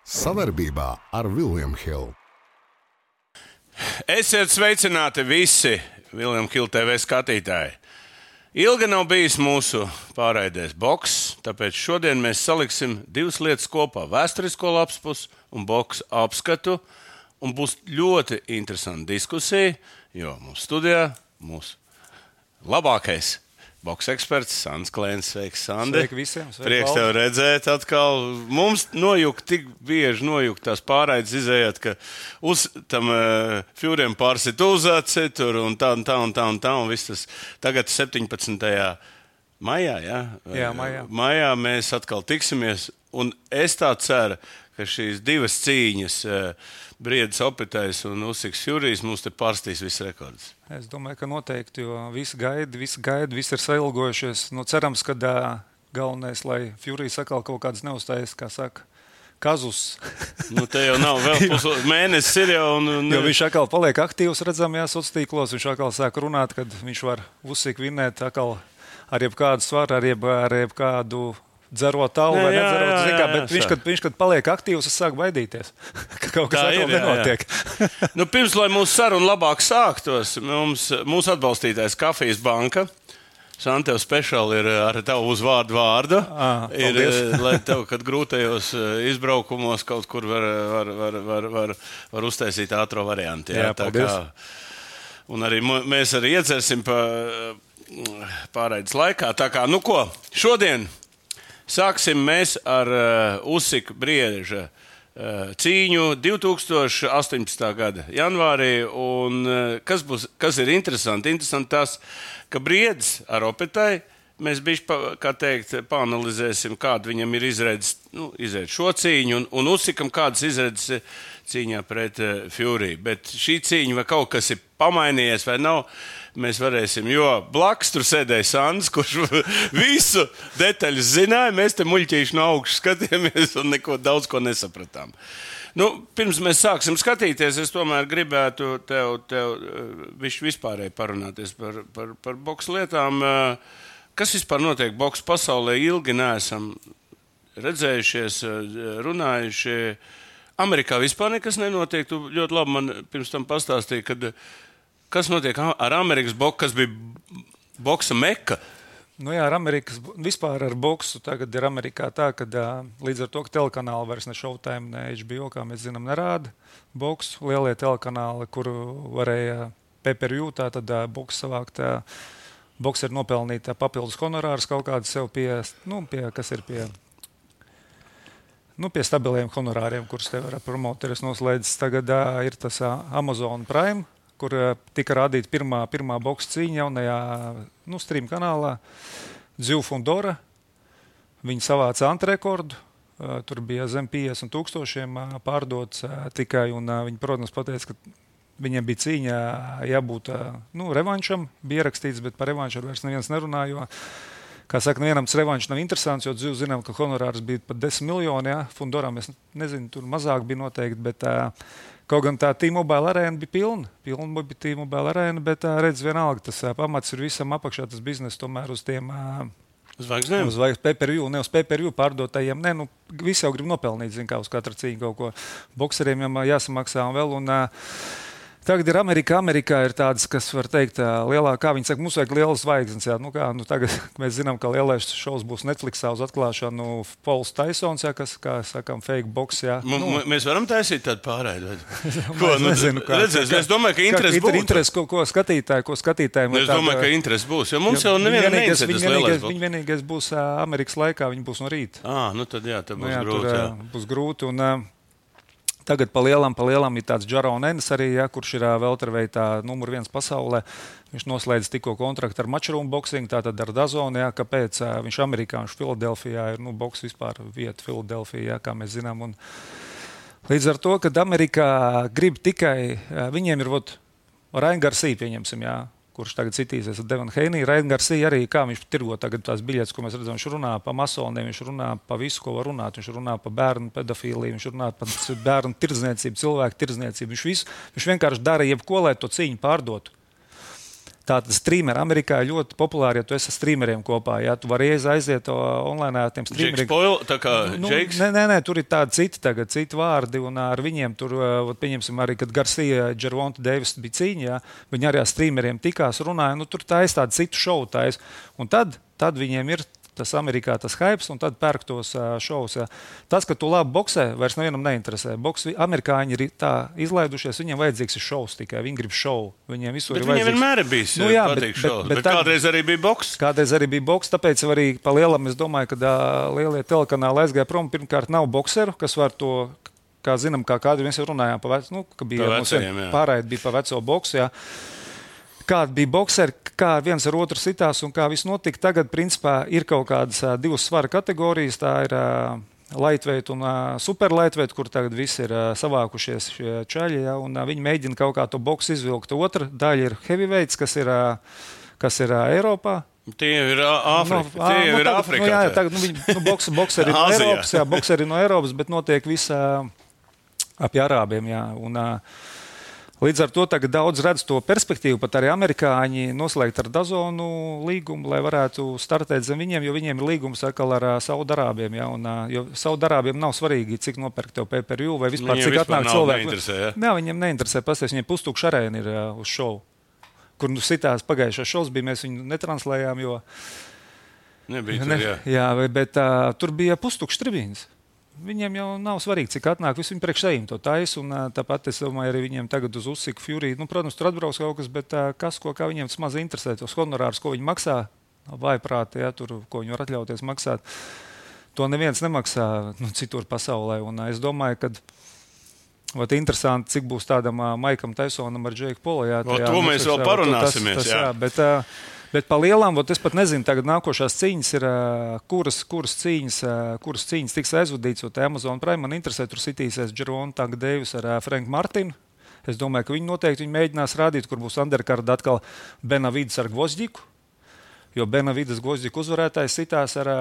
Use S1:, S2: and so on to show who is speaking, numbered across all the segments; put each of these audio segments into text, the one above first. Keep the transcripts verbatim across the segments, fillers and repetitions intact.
S1: Savarbībā ar William Hill.
S2: Esiet sveicināti visi William Hill T V skatītāji. Ilgi nav bijis mūsu pārraidēs boks, tāpēc šodien mēs saliksim divas lietas kopā - vēsturisko lapspus un boks apskatu. Un būs ļoti interesanta diskusija, jo mūsu studijā mūsu labākais boks eksperts Sandis Klēns. Sveiks, Sandi!
S3: Sveiki visiem! Sveiki,
S2: Prieks tev redzēt atkal. Mums nojukt, tik bieži nojukt tās pārraides izējāt, ka uz tam uh, fjūriem pārsit uzaci tur un tā un tā un tā un tā un viss tas. Tagad septiņpadsmitajā maijā, ja?
S3: Jā, maijā.
S2: Maijā mēs atkal tiksimies un es tā ceru, ka šīs divas cīņas, uh, Briedis Opetais un Usiks Jurijs, mums te pārstīs viss rekords.
S3: Es domāju, ka noteikti, jo visi gaida, visi gaida, visi ir sailgojušies. Nu, cerams, ka uh, galvenais, lai Jurijs atkal kaut kādas neuzstājas, kā saka, kazus.
S2: Nu, te jau nav vēl pusotru mēnesis ir jau. Un, un...
S3: Jo viņš atkal paliek aktīvs redzamajās sociālos tīklos, viņš atkal sāk runāt, kad viņš var Usik vinnēt atkal ar jebkādu svaru, ar, jeb, ar jebkādu dzerot tavu vai nedzerot, jā, jā, jā, bet viņš kad, viņš, kad paliek aktīvs, es sāku baidīties, ka kaut kas atkal nenotiek.
S2: Nu, pirms, lai mūsu saruna labāk sāktos, mums, mūsu atbalstītājs Kafijas banka, Santev speciāli ir ar tavu uzvārdu vārdu,
S3: à,
S2: ir, lai tev, kad grūtajos izbraukumos kaut kur var, var, var, var, var, var uztaisīt ātro variantu. Jā,
S3: jā, tā kā,
S2: un arī mēs arī iedzersim pa pārraides laikā. Tā kā, nu ko, šodien sāksim mēs ar uh, Usika Brieža uh, cīņu divi tūkstoši astoņpadsmitā gada janvārī. Un, uh, kas, būs, kas ir interesanti? Interesanti tas, ka Briedis ar Opetai mēs bišķi, pa, kā teikt, paanalizēsim, kāda viņam ir izredzes, nu, izredzes šo cīņu, un, un Usikam kādas izredzes cīņā pret uh, Fury. Bet šī cīņa vai kaut kas ir pamainījies vai nav, mēs varēsim, jo blakus tur sēdēja Sandis, kurš visu detaļas zināja. Mēs te muļķīši no augšas skatījāmies un neko daudz ko nesapratām. Nu, pirms mēs sāksim skatīties, es tomēr gribētu tev, tev vispārēji parunāties par, par, par boksu lietām. Kas vispār notiek boksu pasaulē? Ilgi neesam redzējušies, runājuši. Amerikā vispār nekas nenotiek. Tu ļoti labi man pirms tam pastāstīji, kad kas notiek ar Amerikas boksu, kas bija boksa meka?
S3: Nu jā, ar Amerikas, vispār ar boksu tagad ir Amerikā tā, ka līdz ar to, ka telekanāli vairs ne Showtime, ne H B O, kā mēs zinām, nerāda boksu. Lielie telekanāli, kur varēja pay-per-view, tā tad boks savākt. Boks ir nopelnīt papildus honorārus kaut kādu sev pie, nu, pie, kas ir pie, nu, pie stabiliem honorāriem, kurus tev ar promoteris noslēdzis. Tagad uh, ir tas uh, Amazon Prime, kur uh, tika rādīta pirmā, pirmā boksa cīņa jaunajā nu, stream kanālā. Dziu Fundora. Viņi savāca antrekordu. Uh, tur bija zem piecdesmit tūkstošiem uh, pārdots uh, tikai. Un, uh, viņi, protams, pateica, ka viņiem bija cīņa jābūt uh, nu, revanšam. Bija ierakstīts, bet par revanšu vairs neviens nerunā, jo, kā saka, nevienam tas revanšs nav interesants, jo Dziu zinām, ka honorārs bija pat desmit miljoni. Ja? Fundoram, es nezinu, tur mazāk bija noteikti, bet uh, kaut gan tā T-Mobile arēna bija pilna. Pilna bija T-Mobile arēna, bet uh, redz vienalga, tas uh, pamats ir visam apakšā, tas bizness tomēr uz tiem uh,
S2: Zvaigznēm?
S3: Uz pay-per-view, ne uz pay-per-view pārdotajiem. Ne, nu, visi jau grib nopelnīt, zin kā uz katru cīņu kaut ko. Bokseriem jau jāsamaksā un vēl. Un, uh, Tagad ir Amerika. Amerikā ir tādas, kas var teikt, lielākā. Viņi saka, mums vajag lielas zvaigznes. Jā. Nu, kā, nu, tagad mēs zinām, ka lielais šovs būs Netflixā uz atklāšanu. Pauls Taisons, jā, kas, kā sakām, fake boks. Jā.
S2: M nu, mēs varam taisīt tādu pārraidi.
S3: Ko, nu, nezinu, kā,
S2: redzēs, es domāju, ka interesi būs.
S3: Interesi, ko, ko skatītāji, ko skatītājiem.
S2: Es domāju, ka interesi būs, jo mums jau nevienam neinteresē tas lielais boks.
S3: Viņi vienīgais būs Amerikas laikā, viņi būs no rīta.
S2: Ah, nu tad jā, tad būs
S3: nu, jā,
S2: grūti.
S3: Tur,
S2: jā.
S3: Būs grūti un, tagad pa lielam, pa lielam ir tāds Jaron Ennis arī, ja, kurš ir welterweightā numur viens pasaulē. Viņš noslēdz tikko kontraktu ar Matchroom Boxing, tātad ar Dazonu, ja, kāpēc viņš amerikāņš Filadelfijā ir, nu, boks vispār vieta Filadelfijā, kā mēs zinām. Un līdz ar to, kad Amerikā grib tikai, viņiem ir, vot, Ryan Garcia, pieņemsim, jā, kurš tagad citīsies ar Devonu Haney. Ryan Garcia arī, kā viņš tirgo tagad tās biļetes, ko mēs redzam, viņš runā pa masoniem, viņš runā pa visu, ko var runāt. Viņš runā pa bērnu pedofīliju, viņš runā pa bērnu tirdzniecību, cilvēku tirdzniecību. Viņš, visu, viņš vienkārši dara jebko, lai to cīņu pārdotu. Tātad streameri Amerikā ir ļoti populāri, ja tu esi ar streameriem kopā. Ja tu vari aiziet online ar tiem streameriem.
S2: Spoil, tā kā
S3: nu,
S2: Jakes?
S3: Nē, nē, nē, tur ir tādi citi, tagad, citi vārdi, un ar viņiem tur, pieņemsim, arī, kad Garcia, Gervonta Davis bija cīņa, ja, viņi arī ar streameriem tikās, runāja, nu tur taisa tādu citu šovu taisa. Un tad, tad viņiem ir tas Amerikā tas hypes, un tad pērk tos uh, šovus. Ja. Tas, ka tu labi boksē, vairs nevienam neinteresē. Boks, amerikāņi ir tā izlaidušies, viņiem vajadzīgs ir šovs tikai, viņi grib šovu. Viņiem visur
S2: bet
S3: ir vajadzīgs.
S2: Viņiem vienmēr ir bijis
S3: nu, jā,
S2: patīk
S3: bet,
S2: šovs, bet, bet, bet kādreiz arī bija boks.
S3: Kādreiz arī bija boks, tāpēc arī pa lielam es domāju, ka uh, lielie telekanāli aizgāja prom. Pirmkārt nav bokseru, kas var to, kā zinām, kā kādi mēs jau runājām, pa veco, nu, ka bija
S2: pa vecajiem,
S3: pārraidi bija pa veco boksu, jā. Kāda bija bokseri, kā viens ar otru sitās un kā viss notika. Tagad, principā, ir kaut kādas uh, divas svara kategorijas. Tā ir uh, lightweight un uh, super lightweight, kur tagad visi ir uh, savākušies šie čaļi. Ja, un, uh, viņi mēģina kaut kā to boksu izvilkt. Otra daļa ir heavyweights, kas ir, uh, kas ir uh, Eiropā.
S2: Tie ir Āfrika.
S3: No,
S2: Tie
S3: nu,
S2: ir
S3: tagad,
S2: Āfrikā.
S3: Nu, jā, jā, tagad, nu, viņi, nu, boks, bokseri no Eiropas, jā, bokseri no Eiropas, bet notiek visa ap Arābiem. Jā, un, uh, Līdz ar to tagad daudz redz to perspektīvu, pat arī amerikāņi noslēgt ar Dazonu līgumu, lai varētu startēt zem viņiem, jo viņiem ir līgums atkal ar Saudarābiem. Ja, un, jo Saudarābiem nav svarīgi, cik nopērk tev pay-per-view vai vispār,
S2: viņiem
S3: cik
S2: vispār
S3: atnāk cilvēku.
S2: Neinteresē, ja?
S3: Jā, viņiem neinteresē. Pasties, viņiem pustukša arēna ir uh, uz šovu, kur nu sitās pagājušās šovs bija, mēs viņu netranslējām, jo...
S2: Nebija tur,
S3: ne,
S2: jā.
S3: Jā, bet uh, tur bija pustukša tribīnas. Viņiem jau nav svarīgi, cik atnāk. Visi viņi priekš sevīm to taisa. Un, tāpat es domāju, arī viņiem tagad uz Usyku Fury. Nu, protams, tur atbrauks kaut kas, bet kas, ko kā viņiem tas maz interesē, tos honorārus, ko viņi maksā, vājprāti, ja, tur, ko viņi var atļauties maksāt. To neviens nemaksā nu, citur pasaulē. Un es domāju, ka vat, interesanti, cik būs tādam Maikam Tysonam ar Džeiku Polu. Jā,
S2: tajā, to mēs vēl parunāsimies.
S3: Tas, tas, jā. Jā, bet, Bet par lielām, es pat nezinu, tagad nākošās cīņas ir, kuras, kuras, cīņas, kuras cīņas tiks aizvadīts. Amazon Prime man interesē, tur sitīsies Gervonta Davis ar Franku Martinu. Es domāju, ka viņi noteikti viņi mēģinās rādīt, kur būs underkarda atkal Benavides ar Gvozdiku. Jo Benavides Gvozdiku uzvarētājs sitās ar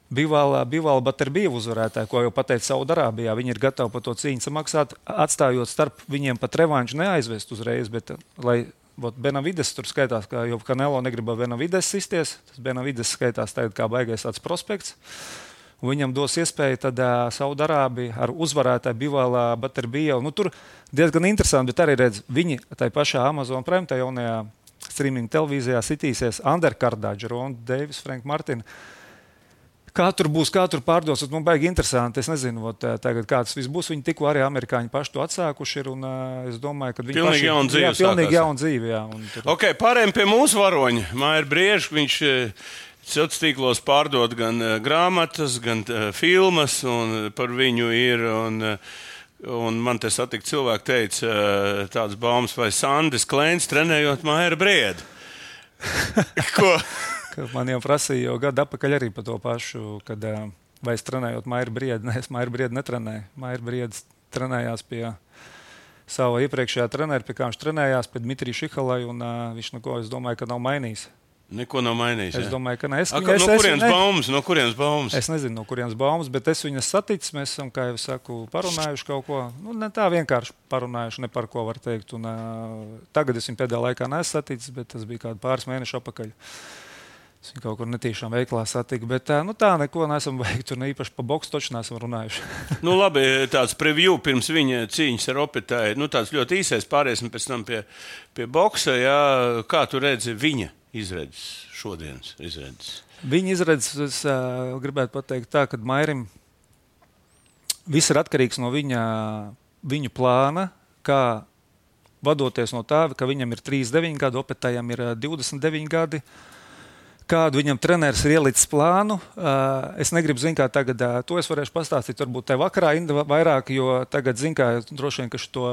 S3: Bivāla, Bivāla Baterbievu uzvarētāju, ko jau pateica Saudarābijā. Viņi ir gatavi par to cīņu samaksāt, atstājot starp viņiem pat revanšu neaizvest uzreiz, bet lai Vot Benavides tur skaitās, ka jau Canelo negrib Benavides sisties. Tas Benavides skaitās tagad kā baigais tāds prospekts. Un viņam dos iespēju tad uh, Saudarābija ar uzvarētāju Bivāla Baterbievu. Nu, tur diezgan interesanti, bet arī redz, viņi tai pašā Amazon Prime, tā jaunajā streaming televīzijā sitīsies underkardā Gervonta Davis, Franku Martinu. Kā tur būs, kā tur pārdos, man baigi interesanti. Es nezinu, ot, tagad, kā tas viss būs. Viņi tikko arī amerikāņi paši to atsākuši ir. Un, uh, es domāju, ka viņi
S2: pilnīgi
S3: paši...
S2: jauna dzīve.
S3: Jā, pilnīgi jauna dzīve, jā. Un tur...
S2: Ok, pārējiem pie mūsu varoņa. Māja Brieža, viņš sociālos tīklos pārdod gan uh, grāmatas, gan uh, filmas, un par viņu ir... Un, uh, un man te satika cilvēki teica uh, tāds baumas, vai Sandis Klēns trenējot Māja Briedu. Ko...
S3: Man jau prasīja jau gadu atpakaļ arī par to pašu, kad vai es trenējot Mairu Briedu. Nē, es Mairu Briedu netrenēju. Mairu Briedu trenējās pie sava iepriekšējā trenera, pie kā viņš trenējās, pie Dmitrija Šihalai, un uh, viņš neko, es domāju, ka nav mainījis.
S2: Neko nav mainījis.
S3: Es jā. domāju, ka ne. Es,
S2: A,
S3: es,
S2: no
S3: es,
S2: kurienes
S3: ne,
S2: baumas? No kurienes baumas?
S3: Es nezinu, no kurienes baumas, bet es viņas saticis. Mēs esam, kā jau saku, parunājuši kaut ko. Nu, ne tā vienkārši parunājuši, ne par ko var teikt. Un, uh, tagad es viņu pēdējā laikā neesmu saticis, bet tas bija kādi pāris mēneši atpakaļ. Es viņu kaut kur netīšām veiklā satiku, bet nu, tā neko neesam veikuši. Tur ne īpaši pa boksu toču neesam runājuši.
S2: Nu, labi, tāds preview pirms viņa cīņas ar Opetāju. Nu, tāds ļoti īsais, pāriesim pēc tam pie, pie boksa. Jā. Kā tu redzi viņa izredzes, šodienas izredzes?
S3: Viņa izredzes, es uh, gribētu pateikt tā, ka Mairim viss ir atkarīgs no viņa, viņu plāna, kā vadoties no tā, ka viņam ir trīsdesmit deviņi gadi, Opetājam ir divdesmit deviņi gadi. Kādu viņam treneris ir ielicis plānu. Uh, es negribu zināt, kā tagad uh, to es varēšu pastāstīt. Varbūt te vakarā vairāk, jo tagad zinu, kā droši vien, ka šo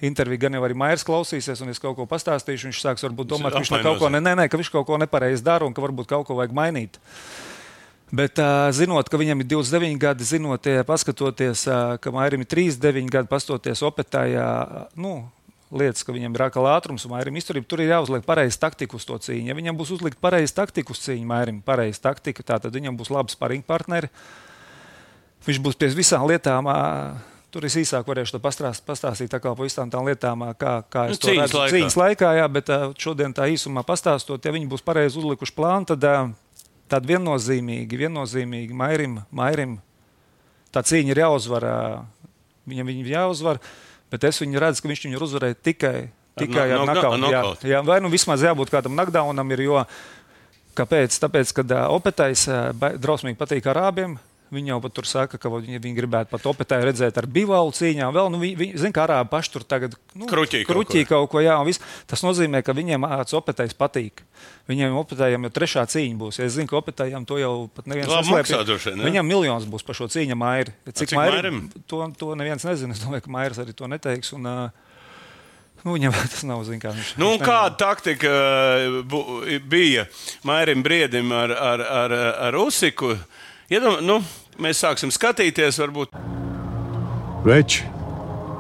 S3: interviju gan jau arī Mairs klausīsies, un es kaut ko pastāstīšu. Viņš sāks varbūt domāt, ka viņš kaut ko, ne, ne, ne, ka viņš kaut ko nepareizi dara un ka varbūt kaut ko vajag mainīt. Bet uh, zinot, ka viņam ir divdesmit deviņi gadi, zinot, paskatoties, uh, ka Mairim ir trīsdesmit deviņi gadi, pastoties Opetājā, uh, nu, lietas, ka viņam ir ākal ātrums un Mairim izturība, tur ir jāuzliek pareizi taktika uz to cīņu. Ja viņam būs uzlikt pareizi taktika uz cīņu, Mairim pareizi taktika, tā tad viņam būs labi sparing partneri. Viņš būs pie visām lietām tur es īsāk varēšu pastāstīt, pastāstīt tā kā pa visām tām lietām, kā, kā es
S2: nu,
S3: to
S2: cīņas
S3: redzu
S2: laikā.
S3: cīņas laikā, jā, bet šodien tā īsumā pastāstot, ja viņi būs pareizi uzlikuši plānu, tad, tad viennozīmīgi, viennozīmīgi Mairim, Mairim tā cīņa ir jāuzvar, viņam viņa jāuzvar, bet es viņu redzu, ka viņš viņu uzvarēja tikai, tikai ar,
S2: no,
S3: ar
S2: no,
S3: knockout. Jā, jā, vai nu vismaz jābūt kādam knockdownam ir, jo kāpēc? Tāpēc, kad uh, Opetais uh, drausmīgi patīk arābiem, viņi jau pat tur saka, ka viņi, viņi gribētu pat Opetai redzēt ar Bivalu cīņā. Vēl, nu, viņi, viņi, zin, ka arābi paši tur tagad nu,
S2: kruķī kaut,
S3: kruķī kaut ko, jā, un viss. Tas nozīmē, ka viņiem āc Opetais patīk. Viņiem Opetājiem jau trešā cīņa būs. Ja es zinu, ka Opetājiem to jau pat neviens
S2: neslēpj.
S3: Viņam miljons būs par šo cīņu Mairi. Cik,
S2: cik
S3: Mairim? To, to neviens nezina. Es domāju, ka Mairis arī to neteiks. Un, uh, Nu, viņam tas nav zināms, kā viņš
S2: nu, kāda taktika bu, bija Mairim Briedim ar, ar, ar, ar Usiku? Iedom, nu, mēs sāksim skatīties, varbūt.
S4: Veči,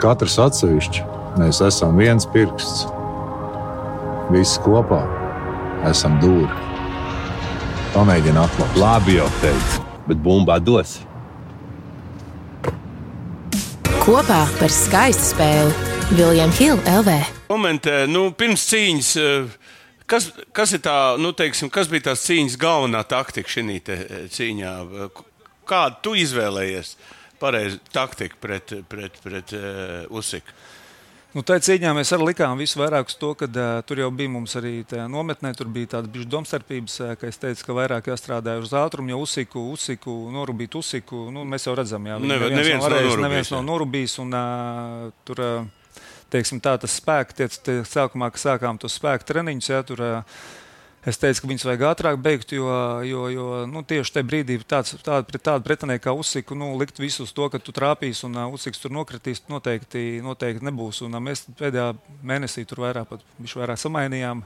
S4: katrs atsevišķi, mēs esam viens pirksts. Visi kopā esam dūri. Pamēģini atklāt.
S5: Labi jau teicu, bet bumbā dos.
S6: Kopā par skaistu spēli. William Hill L V.
S2: Momentē, nu, pirms cīņas, kas, kas ir tā, nu, teiksim, kas bija tās cīņas galvenā taktika šī cīņā? Kādu tu izvēlējies pareizi taktiku pret, pret, pret uh, Usiku?
S3: Nu, tā cīņā mēs arī likām visu vairāk uz to, ka uh, tur jau bija mums arī tajā nometnē, tur bija tāda bišķi domstarpības, uh, ka es teicu, ka vairāk jāstrādā uz ātrumu, jo Usiku, Usiku, norubīt Usiku, nu, mēs jau redzam, jā,
S2: Neve,
S3: neviens,
S2: neviens,
S3: nav varējis,
S2: nav
S3: neviens nav norubījis, un uh, tur, uh, teiksim tā, tas spēks, tie, tie sākumā, ka sākām tos spēku treniņus, jā, tur, uh, es teicu, ka viņus vajag ātrāk beigt, jo, jo, jo nu, tieši tajā brīdī tāds, tāda, tāda pretinieka kā Usiku, nu, likt visu uz to, ka tu trāpīs un uh, Usiks tur nokritīs, noteikti, noteikti nebūs. Un uh, mēs pēdējā mēnesī tur vairāk, pat, vairāk samainījām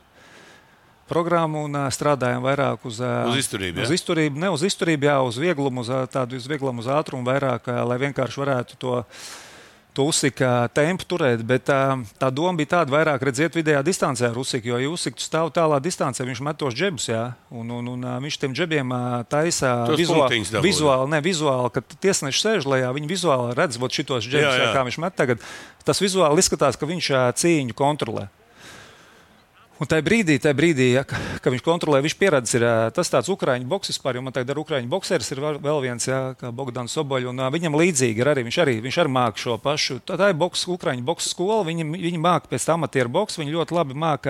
S3: programmu un uh, strādājām vairāk uz, uh,
S2: uz izturību.
S3: Uz izturību, ne uz izturību, jā, uz vieglumu, uz tādu uz vieglumu, uz ātrumu vairāk, uh, lai vienkārši varētu to to Usika tempu turēt, bet tā, tā doma bija tāda vairāk redziet vidējā distancē ar Usiku, jo ja Usiku stāv tālā distancē, viņš met tos džebus, jā, un, un, un viņš tiem džebiem taisa vizuāli, vizuāli, ne, vizuāli, kad tiesneši sēž lejā, viņi vizuāli redz, vot šitos džebus, jā, jā. Jā, kā viņš met tagad, tas vizuāli izskatās, ka viņš cīņu kontrolē. Un tajā brīdī, tajā brīdī ja, ka viņš kontrolē, viņš pieredzes ir tas tāds ukraiņu boks vispār, jo man tagad ar ukraiņu bokseris ir vēl viens, jā, kā Bogdans Soboļs, un viņam līdzīgi ir arī, viņš arī, viņš arī māk šo pašu, tā, tā ir boks, ukraiņu boks skola, viņi, viņi māk pēc amatieru boks, viņi ļoti labi māk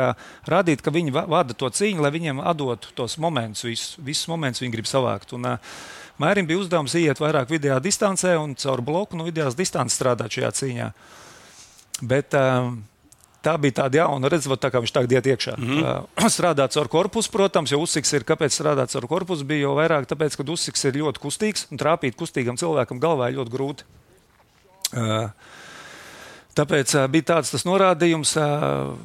S3: rādīt, ka viņi vada to cīņu, lai viņiem atdotu tos momentus, visus, visus momentus viņi grib savākt. Un, Mairim bija uzdevums iet vairāk vidējā distancē un caur bloku no vidējās distances strādāt šajā cīņā. Bet, um, tā bija tāda jauna, redzot, tā kā viņš tagad iet iekšā. Mm-hmm. Uh, strādāts ar korpusu, protams, jo Usiks ir, kāpēc strādāts ar korpusu, bija jau vairāk, tāpēc, ka Usiks ir ļoti kustīgs un trāpīt kustīgam cilvēkam galvā ir ļoti grūti. Uh, tāpēc uh, bija tāds tas norādījums. Uh,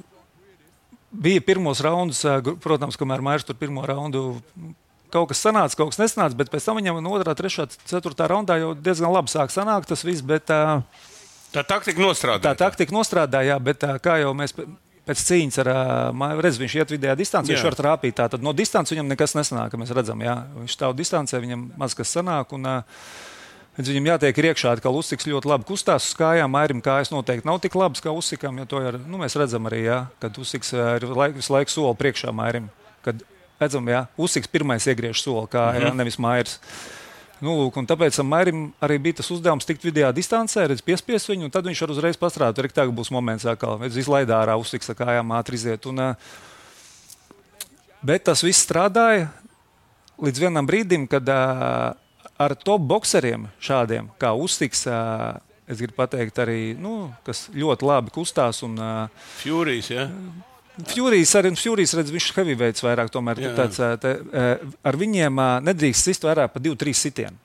S3: bija pirmos raundus, uh, protams, kamēr Mairs tur pirmo raundu kaut kas sanāca, kaut kas nesanāca, bet pēc tam viņam no otrā, trešā, ceturtā raundā jau diezgan labi sāk sanākt tas viss, bet uh,
S2: tā taktika nostrādāja.
S3: Tā taktika nostrādāja, bet kā jau mēs pēc cīņas ar redz, viņš iet vidējā distancē, viņš var trāpīt. Tā, tad no distances viņam nekas nesanāk, mēs redzam, jā. Viņš stāv distancē, viņam maz kas sanāk, un viņam jātiek ir iekšā, ka Usiks ļoti labi kustās uz kājām, Mairim kājas noteikti nav tik labas kā Usikam, jo to ir, nu, mēs redzam arī, jā, kad Usiks ir laik, visu laiku soli priekšā Mairim. Kad redzam, jā, Usiks pirmais iegriež soli kājā, mm-hmm. nevis Mairs. Nu, lūk, un tāpēc Mairim arī bija tas uzdevums tikt vidējā distancē, redz, piespies viņu, un tad viņš var uzreiz pastrādāt. Arī tagad būs moments, kā izlaidā ārā Usiks ar kājām ātri iziet. Un, bet tas viss strādāja līdz vienam brīdim, kad ar top bokseriem šādiem, kā Usiks, es gribu pateikt arī, nu, kas ļoti labi kustās. Un,
S2: Furijas, jā? Ja?
S3: Furijas arī, Furijas redz, viņš heavyweights vairāk, tomēr jā, jā. Tāds, te, ar viņiem nedrīkst sist vairāk pa divu, trīs sitienu.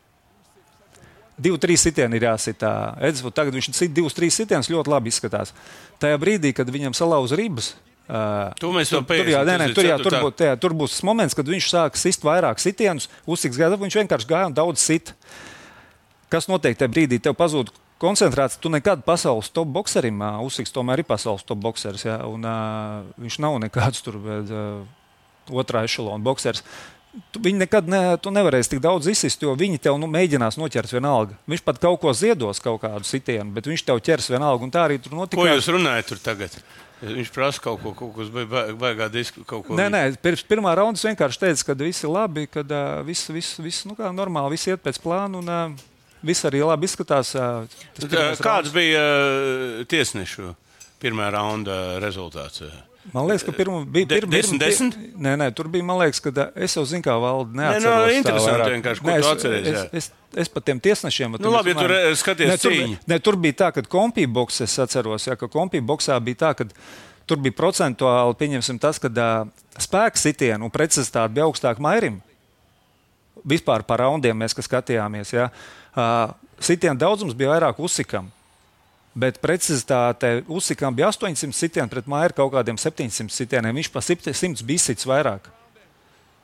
S3: Divu, trīs sitienu ir jāsitā. Edz, tagad viņš sit divus, trīs sitienus ļoti labi izskatās. Tajā brīdī, kad viņam salauz ribas,
S2: tu mēs
S3: tur, tur, jā, nē, nē, tur, jā, tur, būt, jā, tur būs tas moments, kad viņš sāk sist vairāk sitienus, Usiks gada, viņš vienkārši gāja un daudz sit. Kas notiek tajā brīdī? Tev pazūd koncentrāts, tu nekad pasaules top bokserim, uh, Usiks tomēr ir pasaules top bokseris, ja, un uh, viņš nav nekāds tur bet, uh, otrā ešalona boksers. tu, viņi nekad ne, tu nevarēsi tik daudz izsist, jo viņi tev nu, mēģinās noķert vienalga. Viņš pat kaut ko ziedos, kaut kādu sitienu, bet viņš tev ķers vienalga. Un tā arī tur notika.
S2: Ko jūs runājat tur tagad? Viņš prasa kaut ko, kaut kas baigā disku, kaut ko.
S3: Nē, nē, pirms pirmā raundas vienkārši teica, ka viss ir labi, ka uh, viss, viss, viss, nu kā normāli, viss iet pēc plāna un uh, viss arī labi izskatās. Uh,
S2: Kāds raunds. bija uh, tiesnešu pirmā raunda rezultāts?
S3: Man liekas, ka pirmā bija pirmā.
S2: desmit desmit?
S3: Nē, nē, tur bija, man liekas, ka uh, es jau zinu, kā valda neatceros.
S2: Nē, no, interesanti vienkārši, ko
S3: nē,
S2: tu
S3: es,
S2: atceries.
S3: Es, es, es, es pat tiem tiesnešiem.
S2: Nu labi, ja tur skaties
S3: nē, tur,
S2: cīņu.
S3: Nē, tur bija tā, ka kompīboks, es atceros, jā, ka kompīboksā bija tā, ka tur bija procentuāli, pieņemsim tas, ka uh, spēka sitienu un precizitāte bija augstāk Mairim. Vispār par raundiem mēs, kas skatījāmies, jā. Uh, sitienu daudzums bija vairāk Usikam. Bet precizitāte Usikam bija astoņsimt sitieni pret Mairu kaut kādiem septiņsimt sitieniem. Viņš pa simts bija sits vairāk.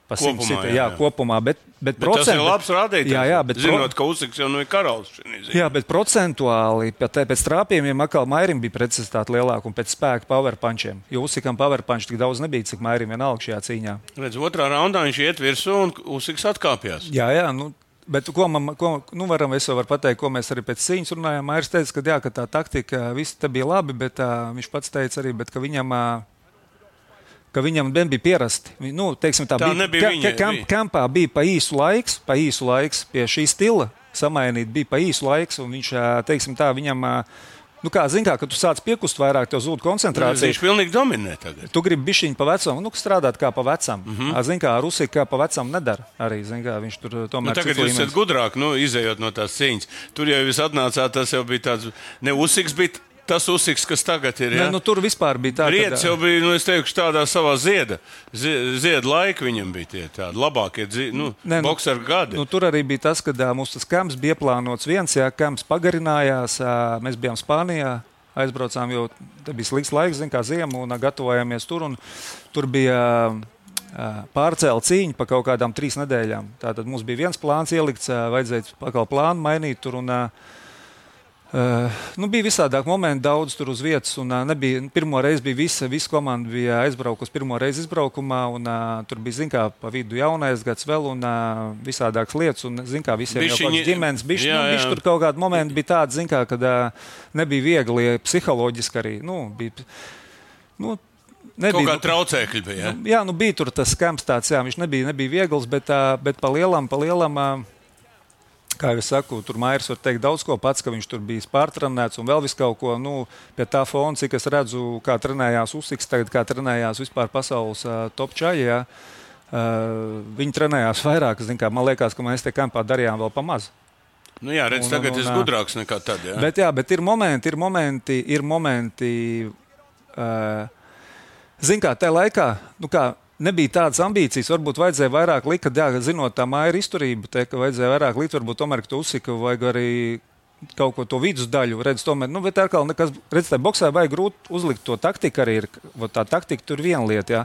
S3: Pa
S2: kopumā,
S3: sitien,
S2: jā,
S3: jā,
S2: jā.
S3: kopumā. Bet, bet,
S2: Bet
S3: procent,
S2: tas ir labs rādītājs.
S3: Jā, jā, bet
S2: zinot,
S3: pro...
S2: ka Usiks jau nu ir karalis.
S3: Jā, bet procentuāli pēc, pēc trāpījumiem atkal Mairim bija precizitāte lielāka un pēc spēka power punchiem. Jo Usikam power punch tik daudz nebija, cik Mairim vienalga šajā cīņā.
S2: Redz, otrā raundā viņš iet virsū un Usiks atkāpjas.
S3: Jā, jā, nu, bet ko man, ko, nu varam, es jau varu pateikt, ko mēs arī pēc cīņas runājām. Mairis teica, ka, jā, ka tā taktika, viss te bija labi, bet uh, viņš pats teica arī, bet, ka viņam... Uh, ka viņam bija pierasti. Nu, teiksim, tā,
S2: tā
S3: bija,
S2: nebija
S3: ka,
S2: viņa.
S3: Kamp, kampā bija pa īsu laiks, pa īsu laiks pie šī stila samainīt, bija pa īsu laiks, un viņš, teiksim tā, viņam, nu kā, zin kā, ka tu sāc piekust vairāk, tev zūd koncentrācija.
S2: Viņš pilnīgi dominē tagad.
S3: Tu gribi bišķiņu pa vecam, nu, strādāt kā pa vecam.
S2: Mm -hmm.
S3: Zin kā, Rusija kā pa vecam nedara arī, zin kā, viņš tur tomēr...
S2: Nu, tagad jūs esat gudrāk, nu, izējot no tās cīņas. Tur jau jūs atnācāt, tas jau bija tāds, ne Usiks bija tas Usiks, kas tagad ir. Ja?
S3: Ne, nu, tur vispār bija tā,
S2: Briedis kad... jau bija, nu, es teikšu, tādā savā zieda, zieda laika viņam bija tie tādi labākie nu, ne, nu, bokseru gadi.
S3: Nu, tur arī bija tas, ka mums tas kamps bija ieplānots viens, jā, kamps pagarinājās, mēs bijām Spānijā, aizbraucām, jo te bija slikts laiks, zin kā ziema, un gatavojāmies tur, un tur bija pārcēla cīņa pa kaut kādām trīs nedēļām. Tātad mums bija viens plāns ielikts, vajadzēja pakal plānu mainīt tur, un Uh, nu, bija visādāk momenti, daudz tur uz vietas. Un, uh, nebija, pirmo reizi bija visa, visa komanda bija aizbraukusi pirmo reizi izbraukumā. Un, uh, tur bija, zin kā, pa vidu jaunais gads vēl un uh, visādākas lietas. Un, zin kā, visiem
S2: bišķiņi,
S3: jau kāds ģimenes. Bišķi,
S2: jā,
S3: nu, bišķi tur kaut kādi momenti bija tādi, zin kā, kad uh, nebija viegli, psiholoģiski arī. Nu, bija, nu, nebija,
S2: kaut kā traucēkļi bija, ja?
S3: Nu, jā, nu bija tur tas kamps tāds, jā, viņš nebija, nebija viegls, bet, uh, bet pa lielam, pa lielam... Uh, Kā jau es saku, tur Mairis var teikt daudz ko pats, ka viņš tur bija pārtrenēts un vēl visu kaut ko. Nu, pie tā fona, cik es redzu, kā trenējās Usiks, tagad kā trenējās vispār pasaules uh, top čaļi. Uh, viņi trenējās vairāk. Zin, kā, man liekas, ka mēs te kampā darījām vēl pa maz.
S2: Nu jā, redz,
S3: un,
S2: tagad
S3: un,
S2: es
S3: un,
S2: gudrāks nekā tad. Jā,
S3: bet, jā, bet ir momenti, ir momenti, ir momenti uh, zin kā, tajā laikā, nu kā, nebija tādas ambīcijas, varbūt vajadzēja vairāk likt, kad, jā, zinot tā Maira izturību, te, ka vajadzēja vairāk likt, varbūt tomēr, ka tu Usika vajag arī kaut ko to vidus daļu, redz, tomēr, nu, bet atkal nekas, redz, tā boksā vajag grūti uzlikt to taktiku arī ir, tā taktika tur viena lieta, jā.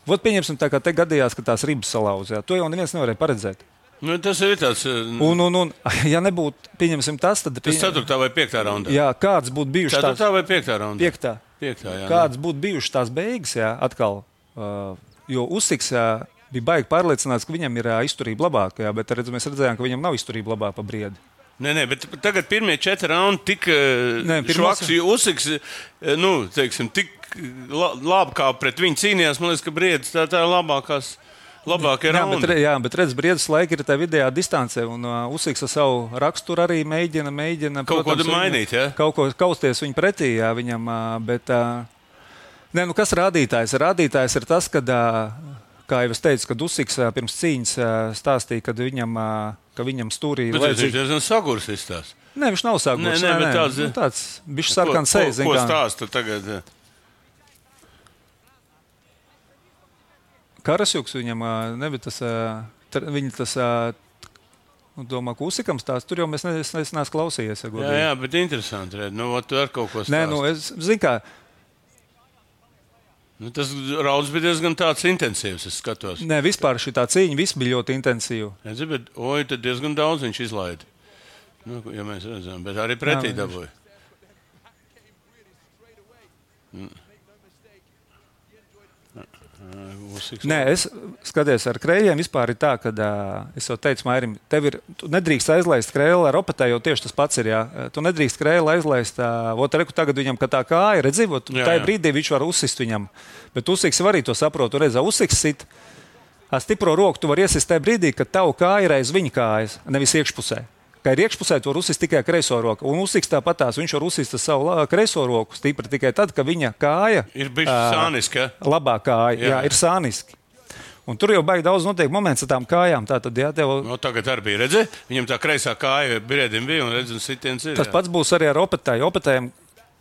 S3: Vot pieņemsim tā, kā te gadījās, ka tās ribas salauz, jā, to jau neviens nevarēja paredzēt.
S2: Nu, tas ir tāds...
S3: Un, un, un, ja nebūtu, pieņemsim tas, tad...
S2: Tas ceturtā vai piektā raundā?
S3: Jā, kāds būtu bijuši tās...
S2: Ceturtā vai piektā raundā?
S3: Piektā.
S2: Piektā, jā.
S3: Kāds būtu bijuši tās beigas, jā, atkal... Uh, Jo Usiks jā, bija baigi pārliecināts, ka viņam ir jā, izturība labāka, jā, bet redz, mēs redzējām, ka viņam nav izturība labāka pa briedi.
S2: Nē, nē, bet tagad pirmie četri raundi tik
S3: nē,
S2: švaks, jo Usiks, nu, teiksim, tik labi kā pret viņu cīnījās, man liekas, ka briedis tā, tā ir labākās, labākie raundi.
S3: Bet, jā, bet redz, briedis laika ir tā vidējā distancē, un uh, Usiks ar savu raksturu arī mēģina, mēģina,
S2: kaut
S3: protams,
S2: ko mainīt, jā?
S3: Kaut ko kausties viņu pretī, jā, viņam, uh, bet... Uh, Nē, nu kas rādītājs? Rādītājs ir tas, kad, kā jau es teicu, kad Usiks pirms cīņas stāstīja, kad viņam, ka viņam stūrī...
S2: Bet viņš ir diezgan sagurs izstāst.
S3: Nē, viņš nav sagurs.
S2: Nē, nē, bet tāds...
S3: Nu, tāds bišķi sarkans sejas.
S2: Ko, ko stāsta tagad?
S3: Karasjuks viņam, nebija tas... Viņa tas... Nu, domā, ka Usikam stāst, tur jau mēs ne, es neesmu klausījies. Ja
S2: jā, jā, bet interesanti, red. Nu, tu ar kaut ko stāst.
S3: Nē, nu, es zinu, kā...
S2: Nu, tas rauds bija diezgan tāds intensīvs, es skatos.
S3: Nē, vispār šī tā cīņa viss bija ļoti intensīva.
S2: Jā, zin, bet, oj, tad diezgan daudz viņš izlaida. Nu, ja mēs redzam, bet arī pretī dabūja. Usiks.
S3: Nē, es skaties, ar krējiem vispār ir tā, ka uh, es jau teicu, Mairim, tev ir, tu nedrīkst aizlaist krēlu ar opatē, jo tieši tas pats ir, jā. Tu nedrīkst krēlu aizlaist, uh, ot, reku tagad viņam, ka tā kāja, redzi, ot,
S2: Jā,
S3: tajā
S2: jā.
S3: brīdī viņš var uzsist viņam. Bet Usiks var arī to saprot, tu redzi, Usiks sit, ar stipro roku tu var iesist tajā brīdī, kad tavu kāja ir aiz viņa kājas, nevis iekšpusē. Kā ir iekšpusē, to var uzsist tikai kreiso roku. Un Usiks tāpatās, viņš var uzsist ar savu la- kreiso roku stipri tikai tad, kad viņa kāja
S2: Ir bišķi
S3: ā,
S2: sāniski, ja?
S3: labā kāja, jā.
S2: Jā.
S3: Jā, ir sāniski. Un tur jau baigi daudz notiek moments ar tām kājām. Tātad, jā, tev,
S2: No, tagad arī bija, redzi, viņam tā kreisā kāja briedim bija un redzi, un sitiens ir.
S3: tas
S2: jā.
S3: pats būs arī ar opetēju. Opetējiem,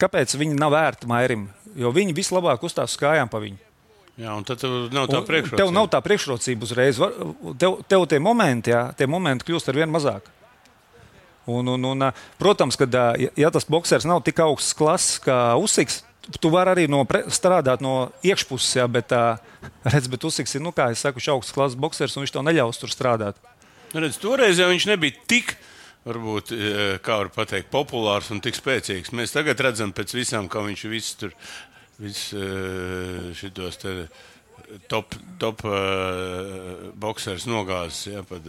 S3: kāpēc viņi nav vērti Mairim? Jo viņi vislabāk uzstās uz kājām pa viņu.
S2: Jā, un tad tev nav tā
S3: Un
S2: priekšrocība.
S3: Tev nav tā priekšrocība uzreiz. Var- Tev, tev tie momenti, jā, tie momenti kļūst ar vien mazāk. Un, un, un, ā, protams, ka, ja, ja tas boksers nav tik augsts klases kā Usiks, tu vari arī no pre, strādāt no iekšpuses, jā, bet, ā, redz, bet Usiks ir, nu, kā es saku, augsts klases boksers, un viņš tev neļaus tur strādāt.
S2: Nu, redz, toreiz jau viņš nebija tik, varbūt, eh, kā var pateikt, populārs un tik spēcīgs. Mēs tagad redzam pēc visām, kā viņš viss tur, viss eh, šitos te top, top uh, boksers nogāzes, jā, pat.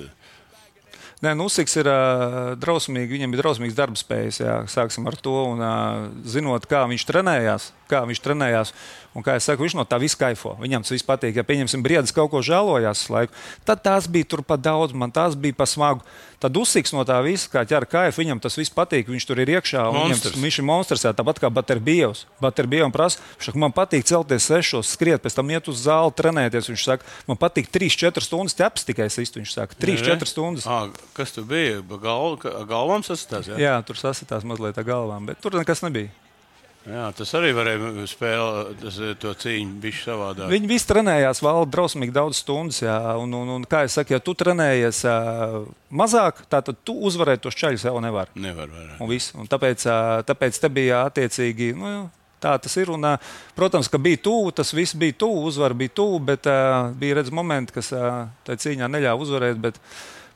S3: Nē, nu, Usiks ir uh, drausmīgi, viņam ir drausmīgs darba spējas. Jā, sāksim ar to. Un, uh, zinot, kā viņš trenējās, kā viņš trenējās, un kā es saku, viņš no tā viss kaifo. Viņam tas viss patīk. Ja pieņemsim, Briedis kaut ko žēlojās uz laiku, tad tās bija tur pa daudz, man tās bija pa smagu. Tad Usiks no tā visa, kā ķer kaifu, viņam tas viss patīk, viņš tur ir iekšā. un Viņam,
S2: Monstrs.
S3: tas- viņš ir monstrs, jā, tāpat kā Baterbievs. Baterbievs prasa, viņš saka, man patīk celties sešos, skriet, pēc tam iet uz zāli, trenēties. Viņš saka, man patīk trīs četras stundas ķeps tikai sist. Viņš saka, trīs četras stundas.
S2: À, kas tu bija? Gal, galvām sasitās, jā?
S3: Jā, tur sasitās mazliet ar galvām, bet tur nekas nebija.
S2: Jā, tas arī varēja spēlēt tas, to cīņu bišķi savādāk.
S3: Viņi visi trenējās vēl drausmīgi daudz stundas. Jā, un, un, un, kā jau teicu, ja tu trenējies uh, mazāk, tad tu uzvarēt tos ceļus jau nevar.
S2: Nevar vairāk.
S3: Un viss. Un tāpēc, uh, tāpēc te bija attiecīgi. Nu, jā, tā tas ir. Un, uh, protams, ka bija tuvu, tas viss bija tuvu, uzvara bija tuvu, bet uh, bija redz momenti, kas uh, tajā cīņā neļāva uzvarēt. Bet,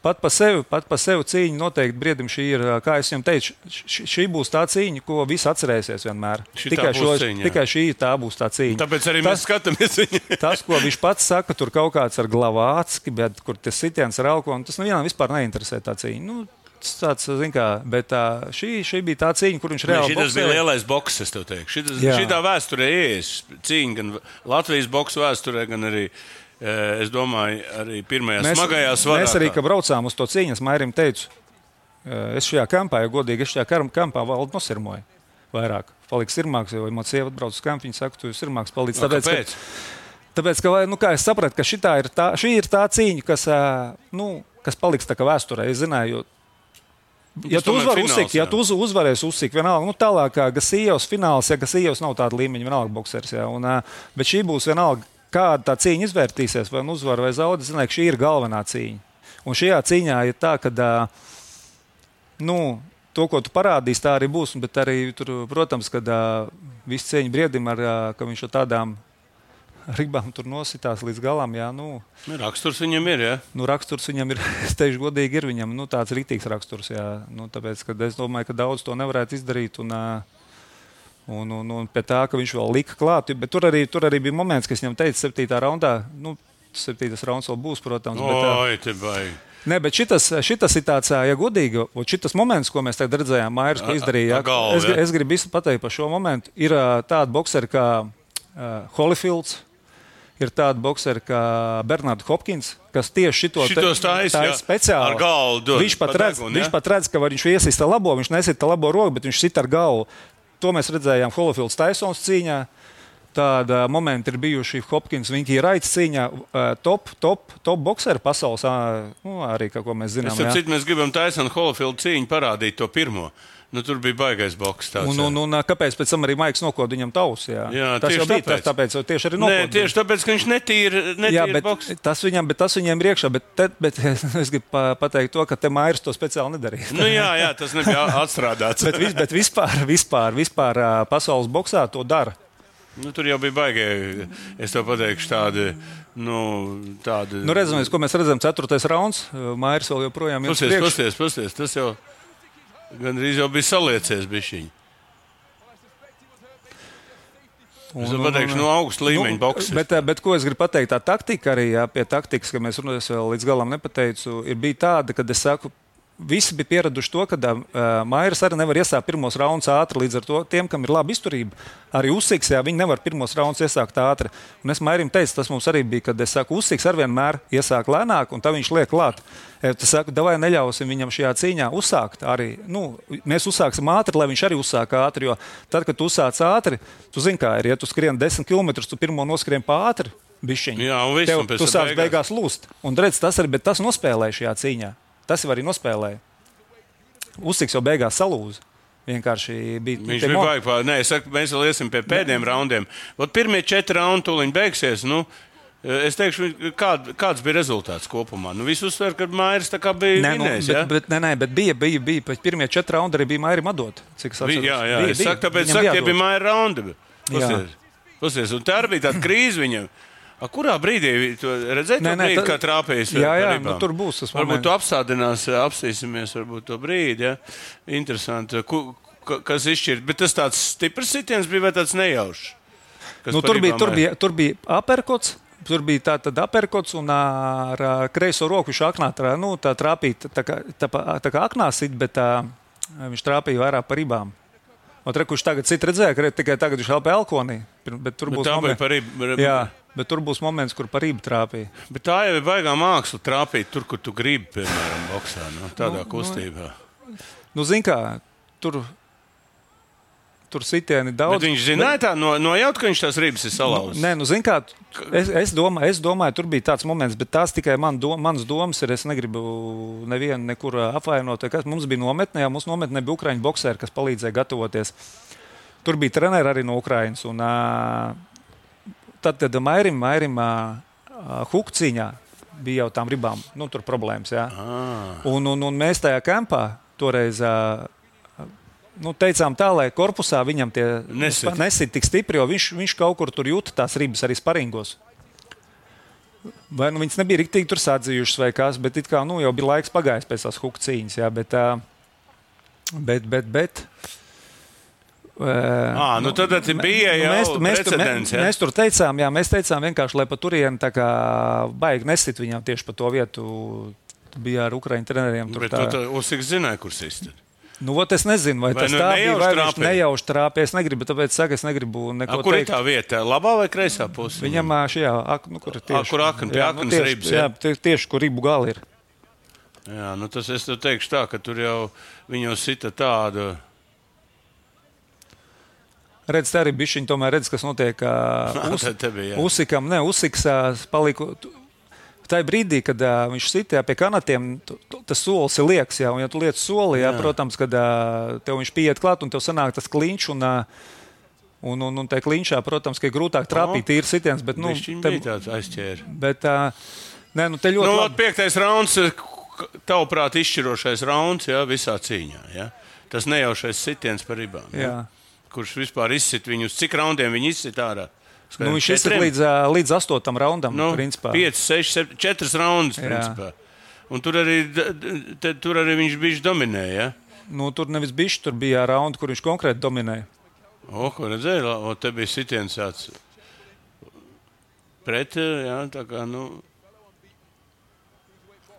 S3: Pat par sevi, pat par sevi cīņa noteikti briedim šī ir, kā es jums teicu, š, šī būs tā cīņa, ko visi atcerēsies vienmēr.
S2: Šitā
S3: Tikai,
S2: būs
S3: šo,
S2: cīņa, jā.
S3: tikai šī tā būs tā cīņa.
S2: Tāpēc arī
S3: Tas-
S2: mēs skatāmies viņu.
S3: Tas, ko viņš pats saka, tur kaut kāds ar glavācki, bet kur tas sitiens ar alkoholu, tas nevienam vispār neinteresē tā cīņa. Nu, tas tāds, zin kā, bet tā, šī, šī bija tā cīņa, kur viņš reāli
S2: Šis bija
S3: boksēja.
S2: lielais boks, es tev teikšu. Šitas,
S3: Jā.
S2: šitā vēsturē ies cīņa gan Latvijas boksu vēsturē, gan arī, eh, es domāju, arī pirmajā smagajā svarā.
S3: mēs arī, kad braucām uz to cīņu, es Mairim teicu, eh, es šajā kampā, ja godīgi, es šajā kar- kampā valdu nosirmoju vairāk. Paliks sirmāks, jo man sieva atbrauc uz kampu, viņa saka, tu esi sirmāks palīdz.
S2: No,
S3: Tāpēc,
S2: kāpēc?
S3: ka, tāpēc, ka, vai, nu, kā es sapratu, ka šitā ir tā, šī ir tā cīņa, kas, ā, nu, kas paliks tā kā vēsturē. Es zināju, jo Ja
S2: Tas
S3: tu,
S2: tomēr
S3: uzvar
S2: fināls,
S3: uzsik, ja
S2: jā.
S3: tu uz, uzvarēsi uzsīk, vienalga, nu tālāk kā Gasījos fināls, ja Gasījos nav tāda līmeņa, vienalga boksers, jā, un, ā, bet šī būs vienalga, kāda tā cīņa izvērtīsies, vai nu uzvar vai zaudē, zināju, ka šī ir galvenā cīņa. Un šajā cīņā ir tā, ka, ā, nu, to, ko tu parādīsi, tā arī būs, bet arī, tur, protams, kad ā, viss cieņa briedim, ar, ā, ka viņš ar tādām ribām tur nositās līdz galam, jā, nu,
S2: Nu, raksturs viņam ir, jā.
S3: Nu, raksturs viņam ir, es teikšu, godīgi, ir viņam nu, tāds rītīgs raksturs. Jā, nu, tāpēc, ka es domāju, ka daudz to nevarētu izdarīt. Un, ā, un, un, un pie tā, ka viņš vēl lika klāt. Bet tur arī, tur arī bija moments, kas viņam teica, septītā raundā. Nu, septītais rauns vēl būs, protams. Bet, ā,
S2: Oi, te baigi.
S3: Nē, bet šitas, šitas ir tāds, ā, ja godīgi, un šitas moments, ko mēs tagad redzējām, Mairis, ko
S2: A-
S3: izdarīja.
S2: a- a galvu,
S3: Es,
S2: jā.
S3: es gribu visu pateikt par šo momentu. Ir ā, tādi bokseri kā uh, Holyfields. Ir tāda boksera kā Bernards Hopkins, kas tieši šito
S2: Šitos taisa,
S3: tā
S2: jā.
S3: ir speciāli.
S2: Ar galvu dod
S3: Viņš pat,
S2: pa
S3: redz,
S2: degunu,
S3: viņš
S2: jā?
S3: pat redz, ka var viņš iesista labo, viņš nesita labo roku, bet viņš sit ar galvu. To mēs redzējām Holyfields Tysons cīņā. Tāda momenta ir bijuši Hopkins, viņi ir raids cīņā, ā, top, top, top bokseri pasaules, ā, nu, arī, kā ko mēs zinām.
S2: Es
S3: jā.
S2: saprotu, mēs gribam taisnīt Holyfield cīņu, parādīt to pirmo. Nu, tur bija baigais boks. Tāds,
S3: Un, un, un kāpēc pēc tam arī Maiks nokoda viņam tausu? Jā,
S2: Jā,
S3: tas
S2: tieši
S3: jau bija
S2: tāpēc.
S3: tas, tāpēc jau tieši arī
S2: Nē,
S3: nokoda.
S2: tieši tāpēc, ka viņš netīra,
S3: Jā,
S2: netīra
S3: bet
S2: boks.
S3: tas, viņam, bet tas viņiem ir iekšā. Bet, te, bet es gribu pa- pateikt to, ka te Mairis to speciāli nedarīja.
S2: Nu, jā, jā, tas nebija atstrādāts.
S3: bet, vis, bet vispār, vispār, vispār ā, pasaules boksā to dara.
S2: Nu, tur jau bija baigie, es tev pateikšu, tādi, nu, tādi.
S3: Nu, redzamies, ko mēs redzam. Ceturtais rauns. Mairis vēl joprojām ir
S2: Pasties, pasties, pasties, tas jau gandrīz jau bija saliecies bišķiņi. Es pateikšu, no augsta līmeņa boks.
S3: Bet, bet ko es gribu pateikt, tā taktika arī, jā, pie taktikas, ka mēs runājam, es vēl līdz galam nepateicu, ir bija tāda, kad es saku, visi bija pieraduši to, ka uh, Mairis arī nevar iesākt pirmos raundus ātri, līdz ar to tiem, kam ir laba izturība, arī Usiks, jā, viņi nevar pirmos raundus iesākt ātri. Un es Mairim teicu, tas mums arī bija, kad es saku, Usiks ar vienmēr iesāk lēnāk, un tā viņš liek klāt. Es saku, davai neļausim viņam šajā cīņā uzsākt arī. Nu, mēs uzsāksim ātri, lai viņš arī uzsāk ātri, jo tad, kad tu uzsāc ātri, tu zini, kā ir, ja tu skrien desmit kilometrus, tu pirmo noskrien pa ātri, bišķiņi.
S2: Jā, un viss,
S3: Tev,
S2: un pēc
S3: tu sāc beigās lūst. Un redz, tas arī, bet tas nospēlēja šajā cīņā. Tas jau arī nospēlēja. Usiks jau beigās salūza. Vienkārši bija.
S2: Viņš bija baigi pār. Nē, es saku, mēs vēl iesim pie pēdējiem raundiem. Ot pirmie četri raundi tūliņ beigsies. Nu, es teikšu, kād, kāds bija rezultāts kopumā. Nu, viss uzsver, ka Mairis tā kā bija
S3: nē,
S2: vinējis.
S3: Nu, bet,
S2: ja?
S3: bet, nē, nē, bet bija, bija, bija. Pēc pirmie četri raundi arī bija Mairim atdot. Cik es atceros.
S2: Jā, jā.
S3: Bija,
S2: Es saku, tāpēc
S3: Viņam
S2: saku,
S3: bija
S2: tie bija Maira raundi.
S3: Jā.
S2: Pasies, un tā arī bija tāda krīze viņam. A, kurā brīdī tu redzēji to
S3: Nē, nē,
S2: brīdi,
S3: tā-
S2: kā trāpījis?
S3: Jā,
S2: par
S3: jā,
S2: ribām?
S3: nu, tur būs tas
S2: Varbūt
S3: moments.
S2: tu apstādinās, apstīsimies varbūt to brīdi, ja? Interesanti. Ku, ka- kas izšķirt? Bet tas tāds stiprs sitiens bija vai tāds nejaušs? Kas
S3: Nu,
S2: par
S3: tur, bija,
S2: ribām
S3: tur,
S2: ir?
S3: bija, tur bija aperkots. Tur bija tā tad aperkots un ar ā, kreiso roku viņš aknā trā, nu, tā trāpīja tā kā, tā, pa- tā kā aknā sit, bet tā, viņš trāpīja vairāk par ribām. Un re, kurš tagad cit redzēja, ka re, tikai tagad viņš helpē Elkonī. Bet tur
S2: Bet
S3: būs
S2: tā bija
S3: moments,
S2: par ribu.
S3: jā, bet tur būs moments, kur par ribu trāpīja.
S2: Bet tā jau ir baigā māksla trāpīt tur, kur tu gribi, piemēram, boksā, no, tādā
S3: Nu,
S2: kustībā.
S3: Nu, zin kā, tur, tur sitieni daudz.
S2: Bet viņš zināja tā, no, nojaut, ka viņš tās ribas ir salauzis.
S3: Nē, nu, zin kā, es, es, domāju, es domāju, tur bija tāds moments, bet tās tikai man dom, manas domas ir. Es negribu nevienu nekur apvainot. Kas mums bija nometnē, jau mums nometnē bija ukraiņu bokseri, kas palīdzēja gatavoties. Tur bija treneri arī no Ukrainas. Un, uh, tad, kad Mairim, Mairim uh, hukciņā bija jau tām ribām, nu, tur problēmas. Jā.
S2: Ah.
S3: Un, un, un mēs tajā kampā toreiz uh, nu, teicām tā, lai korpusā viņam tie
S2: Nesit.
S3: nesit tik stipri, jo viņš, viņš kaut kur tur jūta tās ribas arī sparingos. Vai nu viņas nebija riktīgi tur sadzījušas vai kas, bet it kā nu, jau bija laiks pagājis pēc tās hukcīņas. Jā, bet, uh, bet, bet, bet
S2: À, nu tad bija jau
S3: mēs, mēs, tur,
S2: precedents,
S3: mēs,
S2: ja?
S3: mēs tur teicām, jā, mēs teicām vienkārši, lai pa turieni tā kā baigi nesit viņam tieši pa to vietu. Bija ar ukraiņu treneriem. Tur
S2: Bet
S3: tā.
S2: tu Usiks zināja, kur sist.
S3: Nu, ot, es nezinu, vai,
S2: Vai
S3: vai tas
S2: nu
S3: tā bija,
S2: nejauši
S3: vai viņš
S2: trāpīja?
S3: nejauši trāpīja. Es negribu, tāpēc saku, es negribu neko
S2: A, kur ir
S3: teikt.
S2: tā vieta? Labā vai kreisā pusē?
S3: Viņam ā, šajā, ak, nu, kur ir tieši,
S2: kur akna, pie
S3: jā,
S2: aknas
S3: tieši,
S2: ribas,
S3: jā,
S2: ja?
S3: tie- tieši, kur ribu gali ir.
S2: Jā, nu tas es tev teikšu tā, ka tur jau viņu sita tādu.
S3: Redz, tā arī bišķiņ tomēr redz, kas notiek ā, Us,
S2: Te- te bija, jā.
S3: Usikam. Ne, Usiks ā, paliku. Tā ir brīdī, kad uh, viņš sitā pie kanatiem, tu, tu, tas solis ir lieks. Jā, un, ja tu liec soli, jā,
S2: Jā.
S3: protams, kad uh, tev viņš pieiet klāt un tev sanāk tas kliņš. Un, uh, un, un, un tajā kliņšā, protams, ka ir grūtāk trāpīt tīri sitiens. Bet, nu,
S2: Viņš
S3: te,
S2: bija tāds aizķēri.
S3: bet, uh, nē, nu, te ļoti
S2: Nu,
S3: labi.
S2: piektais rauns, tavuprāt, izšķirošais rauns, jā, visā cīņā. Jā. Tas nejaušais sitiens par ribām. Jā.
S3: Jā.
S2: Kurš vispār izsit viņu, uz cik raundiem viņi izsit ārā?
S3: Nu, viņš ir līdz, ā, līdz astotam raundam.
S2: Nu,
S3: principā.
S2: pieci, seši, septiņi, četri raundus.
S3: Jā.
S2: Principā. Un tur arī, d- d- te, tur arī viņš bija dominēja. Ja?
S3: Nu, tur nevis bišķi, tur bija raundi, kur viņš konkrēti dominēja.
S2: O, ko redzēji? La- O, te bija sitiens tāds pret, jā, tā kā, nu.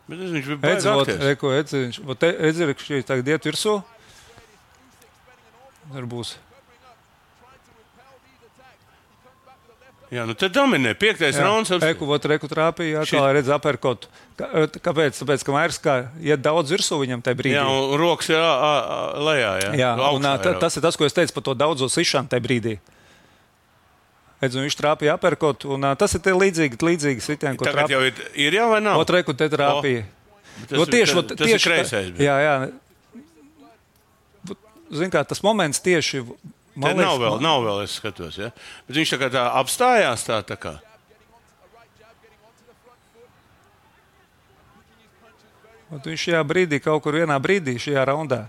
S2: Bet es, viņš bija
S3: Edzi, vot,
S2: baigākties.
S3: reko, Edzi, viņš, vot, Edzi, reko, šī tagad iet virsū. Tur būs.
S2: Jā, nu te dominē. Piektais rauns. ap-
S3: Eku, vot, reku trāpīja,
S2: Šit-
S3: kā redz aperkotu. Kā- Kāpēc? Tāpēc, ka Mairs kā iet daudz virsū viņam tajā brīdī.
S2: Jā, un rokas ir ā, ā, ā, lejā. Jā,
S3: Jā,
S2: Augšā
S3: un ā, ta-
S2: ir.
S3: tas ir tas, ko es teicu par to daudzo sišanu tajā brīdī. Edz, un viņš trāpīja aperkotu, un ā, tas ir tie līdzīgi, līdzīgi sitieni, ko
S2: Tagad
S3: trāpīja.
S2: jau ir, ir jau vai nav?
S3: Ot, reku, te trāpīja.
S2: Tas,
S3: Jo tieši,
S2: tas,
S3: vot,
S2: tas
S3: tieši,
S2: ir kreisais. bija.
S3: Jā, jā. Zin kā, tas moments tieši.
S2: Te
S3: man
S2: nav
S3: liekas,
S2: vēl,
S3: man-
S2: nav vēl, es skatos. Ja? Bet viņš tā kā tā apstājās tā, tā kā.
S3: Ot, viņš šajā brīdī, kaut kur vienā brīdī, šajā raundā.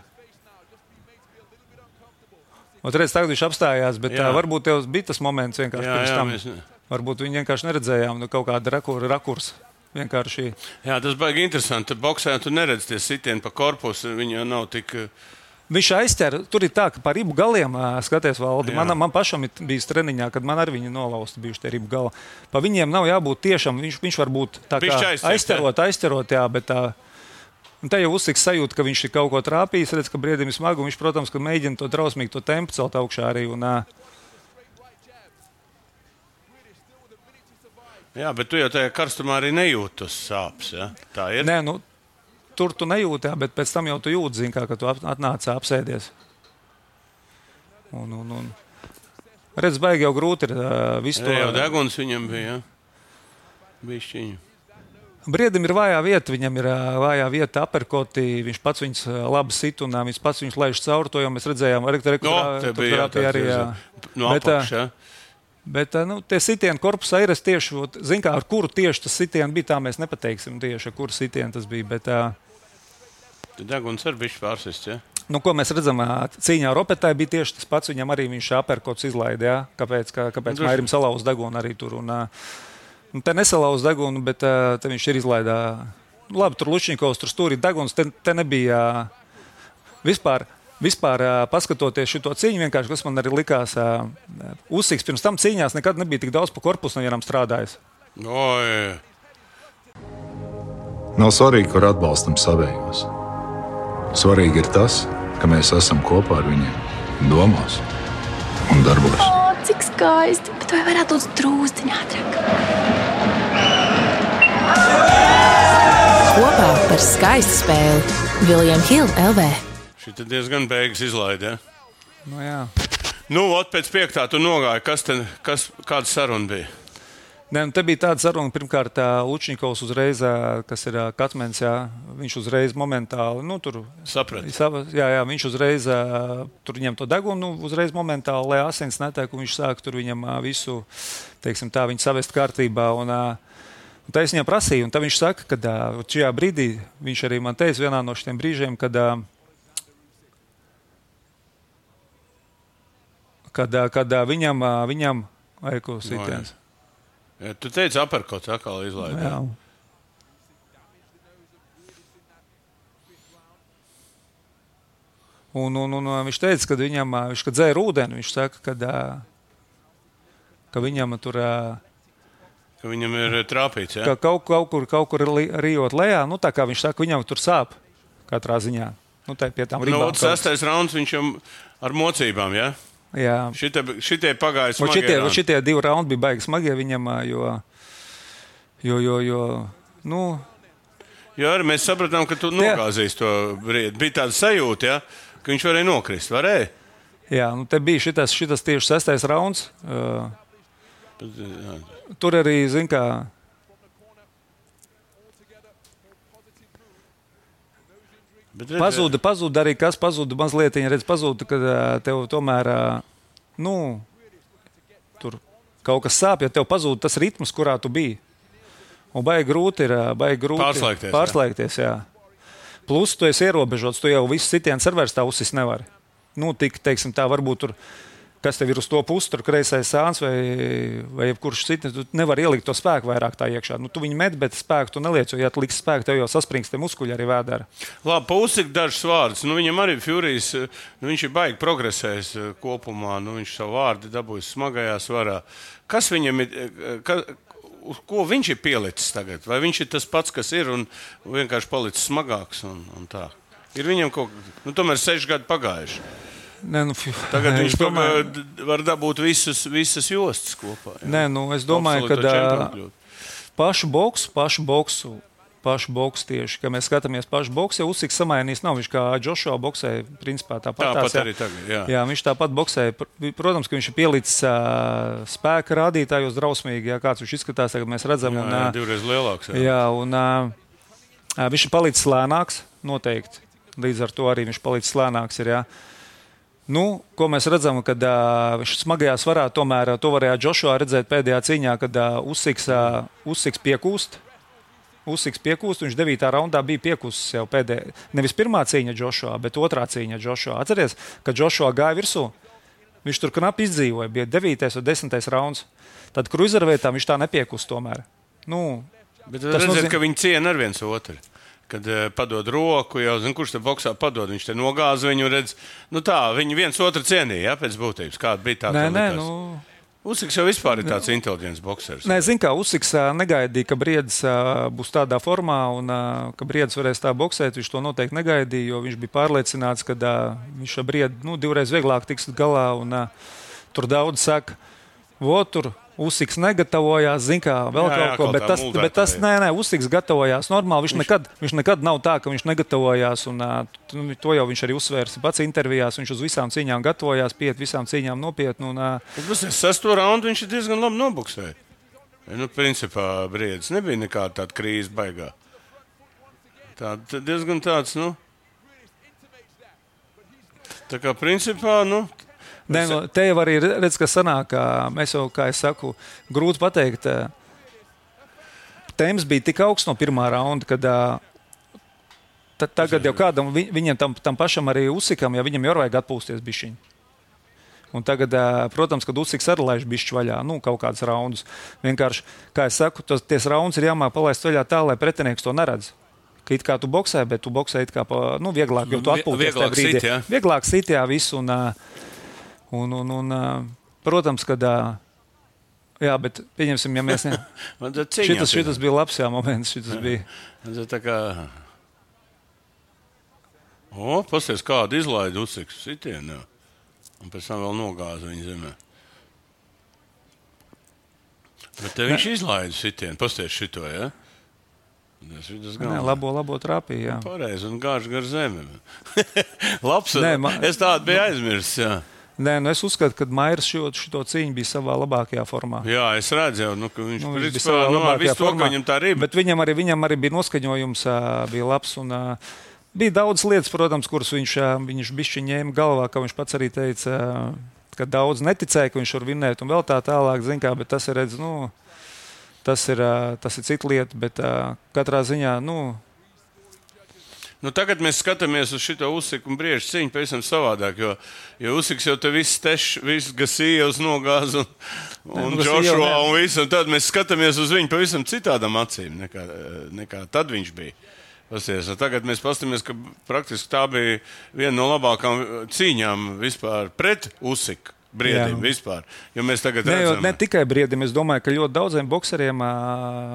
S3: Ot, redz, tagad viņš apstājās, bet
S2: Jā.
S3: tā, varbūt tev bija tas moments vienkārši
S2: Jā,
S3: pirms
S2: jā,
S3: tam.
S2: mēs ne-
S3: Varbūt viņi vienkārši neredzējām, nu, kaut kāda rakura, rakurs. Vienkārši.
S2: Jā, tas baigi interesanti. Boksē tu neredz tie sitieni pa korpusu. Viņi jau nav tik,
S3: Viņš aizķēra, tur ir tā, ka par ribu galiem skaties valdi. Man, man pašam ir bijis treniņā, kad man ar viņu nolausti bijuši tie ribu gala. Pa viņiem nav jābūt tiešām, viņš, viņš var būt tā kā aizķerot, aizķerot, jā, bet tā. Un te jau uzsiks sajūta, ka viņš ir kaut ko trāpījis, redz, ka briedim ir smagu, un viņš, protams, ka mēģina to drausmīgi to tempu celt augšā arī. Un,
S2: jā, bet tu jau tajā karstumā arī nejūti tos sāpes, ja? Tā ir?
S3: Nē, nu, tur tu nejūti, jā, bet pēc tam jau tu jūti, zin, kā, ka tu atnāci apsēdies. Un, un, un. Redz, baigi jau grūti ir uh, visu to.
S2: Jā, jau deguns viņam bija, ja? Bišķiņu.
S3: Briedim ir vājā vieta, viņam ir uh, vājā vieta aperkoti, viņš pats viņus uh, labi sit un uh, viņš pats viņus laiž cauri, to jau mēs redzējām.
S2: No,
S3: arī, jā.
S2: No apakš, jā.
S3: Bet nu, tie sitieni korpusā ir tieši, zin kā, ar kuru tieši tas sitieni bija, tā mēs nepateiksim tieši, ar kuru sitieni tas bija. Bet,
S2: deguns ar bišķi pārsists, ja?
S3: Nu, ko mēs redzam, cīņā ar Opetai bija tieši tas pats, viņam arī viņš aperkots izlaida, ja? Kāpēc, kā, kāpēc Mairim salauz degunu arī tur. Un, un te nesalauz degunu, bet te viņš ir izlaidā. Labi, tur Lučņikovs, tur stūri deguns, te, te nebija vispār. Vispār, paskatoties šo cīņu, vienkārši, kas man arī likās, Usiks pirms tam cīņās nekad nebija tik daudz pa korpusu no vienam strādājis.
S2: Oi.
S4: Nav svarīgi, kur atbalstam savējos. Svarīgi ir tas, ka mēs esam kopā ar viņiem domās un darbos.
S7: O, cik skaisti, bet vai varētu būt drūzdiņā ātrāk?
S6: Kopā par skaistu spēli William Hill L V.
S2: Šī tad diezgan beigas izlaida, ja?
S3: Nu, jā.
S2: Nu, ot, pēc piektā tu nogāji. Kas te, kas, kāda saruna bija?
S3: Nē, te bija tāda saruna, pirmkārt, Lučņikovs uzreiz, kas ir Katmens, jā, viņš uzreiz momentāli, nu, tur...
S2: Saprat.
S3: Jā, jā, viņš uzreiz, tur ņem to degunu, nu, uzreiz momentāli, lai asins netiek, un viņš sāk tur viņam visu, teiksim tā, viņu savest kārtībā, un... Un tā es viņam prasīju, un tā viņš saka, ka šajā brīdī, viņš arī man teica vienā no šiem brīžiem, kad... Kad, kad viņam, viņam vajag sitiens.
S2: Ja, tu teici, aperkots atkal izlaida.
S3: Jā. Un, un, un viņš teica, ka viņam, viņš, kad dzēra ūdeni, viņš saka, kad, ka viņam tur...
S2: Ka viņam ir trāpīts, jā?
S3: Ka kaut, kaut kur, kaut kur rijot lejā, nu tā kā viņš saka, viņam tur sāp katrā ziņā. Nu tā pie tām ribām.
S2: Nu, sestais rauns viņš jau ar mocībām, jā?
S3: Jā.
S2: Šitie, šitie pagāja smagie
S3: šitie,
S2: raundi.
S3: Šitie divi raundi bija baigi smagie viņam, jo, jo, jo, jo nu...
S2: Jo arī mēs sapratām, ka tu nogāzīs to briedi. Bija tāda sajūta, ja, ka viņš varēja nokrist, varēja?
S3: Jā, nu te bija šitas, šitas tieši sestais rauns. Uh,
S2: Bet, jā.
S3: Tur arī, zin kā... Pazuda, pazuda arī kas, pazuda mazliet, redz, pazuda, kad tev tomēr, nu, tur kaut kas sāp, ja tev pazuda tas ritms, kurā tu biji. Un baigi grūti ir, baigi grūti
S2: pārslēgties,
S3: pārslēgties, jā. jā. Plus tu esi ierobežots, tu jau visu sitienu servers tā uzsis nevari. Nu, tik, teiksim tā, varbūt tur, kas tev ir uz to pusi, tur kreisais sāns vai, vai jebkurš cits, tu nevari ielikt to spēku vairāk tā iekšā. Nu, tu viņu met, bet spēku tu neliec, jo, ja tu liksi spēku, tev jau sasprings te muskuļi arī vēdara.
S2: Labi, pa Usiku dažs vārdus. Nu, viņam arī Furijas, nu, viņš ir baigi progresējis kopumā, nu, viņš savu vārdu dabūjis smagajā svarā. Kas viņam ir, ka, uz ko viņš ir pielicis tagad? Vai viņš ir tas pats, kas ir un vienkārši palicis smagāks un, un tā? Ir viņam kaut, nu, tomēr seši gadi pagājuši.
S3: Nē, nu,
S2: Tagad
S3: nē,
S2: viņš domāju, var dabūt visus, visas jostas kopā. Jā.
S3: Nē, nu, es domāju, ka pašu boksu, pašu boksu, pašu boksu tieši, ka mēs skatāmies pašu boksu, ja Usiks samainīs nav, viņš kā Joshua boksē, principā tāpat.
S2: Tāpat
S3: tās,
S2: arī tagad, jā.
S3: Jā, viņš tāpat boksē. Protams, ka viņš ir pielicis uh, spēka rādītājos drausmīgi, jā, kāds viņš izskatās, tagad mēs redzam.
S2: Jā,
S3: un,
S2: jā, divreiz lielāks. Jā,
S3: jā un uh, viņš ir palicis lēnāks, noteikti. Līdz ar to arī viņš palicis lēnāks ir, jā. Nu, ko mēs redzam, kad uh, viņš smagajā svarā, tomēr to varēja Joshua redzēt pēdējā cīņā, kad uh, Usiks, uh, Usiks piekūst. Usiks piekūst, viņš devītā raundā bija piekūsts jau pēdējā. Nevis pirmā cīņa Joshua, bet otrā cīņa Joshua. Atceries, kad Joshua gāja virsū, viņš tur knapi izdzīvoja, bija devītais vai desmitais rauns. Tad kruzerveitā viņš tā nepiekūst tomēr. Nu,
S2: bet redzēt, nozīm... ka viņi ciena ar viens otru. kad uh, padod roku, jau zin, kurš te boksā padod, viņš te nogāza viņu, redz, nu tā, viņi viens otru cienīja, ja, pēc būtības, kāda bija tā.
S3: Nē, nē,
S2: likās.
S3: nu...
S2: Usiks jau vispār ir tāds inteliģents boksers.
S3: Nē, zin kā, Usiks negaidīja, ka Briedis būs tādā formā un ka Briedis varēs tā boksēt. Viņš to noteikti negaidīja, jo viņš bija pārliecināts, ka viņš ar Briedi nu, divreiz vieglāk tiks galā. Un, tur daudz saka, vo, tur Usiks negatavojās, zin kā, vēl jā, kaut ko, bet tas, bet tas nē, nē, Usiks gatavojās normāli. Viņš, viņš... Nekad, viņš nekad nav tā, ka viņš negatavojās, un uh, to jau viņš arī uzsvērs pats intervijās. Viņš uz visām cīņām gatavojās, piet visām cīņām nopietni. Un, uh...
S2: Bet sesto raundu viņš ir diezgan labi nobuksēja. Nu, principā Briedis nebija nekāda tāda krīze baigā. Tā diezgan tāds, nu, tā kā principā, nu,
S3: Nē, no, te jau arī redz, ka sanāk, mēs jau, kā es saku, grūti pateikt, temps bija tik augsts no pirmā raunda, kad t- tagad jau kādam, viņam tam, tam pašam arī Usikam, ja viņam jau vajag atpūsties bišķiņ. Un tagad, protams, kad Usiks arī laiž bišķi vaļā, nu, kaut kādus raundus. Vienkārši, kā es saku, tos, ties raundus ir jāmāk palaist vaļā tā, lai pretinieks to neredz. Ka it kā tu boksē, bet tu boksē it kā, pa, nu, vieglāk, jo tu atpūties tajā brīdī. Sit, ja? Vieglāk sit, jā, visu un... Un, un, un, protams, kad, jā, bet pieņemsim, ja mēs ne... šitas, šitas bija labs, jā, moments, šitas jā. bija.
S2: Man tā kā... O, pasties, kādu izlaida Usiks sitienu, un pēc tam vēl nogāza viņa zemē. Bet te viņš ne. izlaida sitienu, pasties šito, ja? Tas ir tas
S3: galvenais. Labo, labo trāpīja, jā.
S2: Pareizi, un gāž gar zemi. Labs, Nē, man... es tādu biju aizmirsis, jā.
S3: Nē, nu es uzskatu, ka Mairs šo, šito cīņu bija savā labākajā formā.
S2: Jā, es redzu, nu, ka viņš, nu, viņš bija savā nu, labākajā to, formā. Viņam tā arī bija.
S3: Bet viņam arī, viņam arī bija noskaņojums, bija labs. Un, bija daudz lietas, protams, kuras viņš, viņš bišķi ņēma galvā, ka viņš pats arī teica, ka daudz neticēja, ka viņš var vinnēt un vēl tā tālāk, zin kā, bet tas ir, redz, nu, tas ir, tas ir cita lieta, bet katrā ziņā, nu,
S2: Nu, tagad mēs skatāmies uz šo Usiku un Briežu cīņu pavisam savādāk, jo, jo Usiks jau te viss tešs, viss Gasījevs nogāza un, un Joshua un visu, un tad mēs skatāmies uz viņu pavisam citādām acīm nekā, nekā tad viņš bija. Pasties, tagad mēs paskatāmies, ka praktiski tā bija viena no labākām cīņām vispār pret Usiku. Briedim jā. Vispār. Jo mēs tagad
S3: ne,
S2: redzam.
S3: Ne tikai Briedim, es domāju, ka ļoti daudziem bokseriem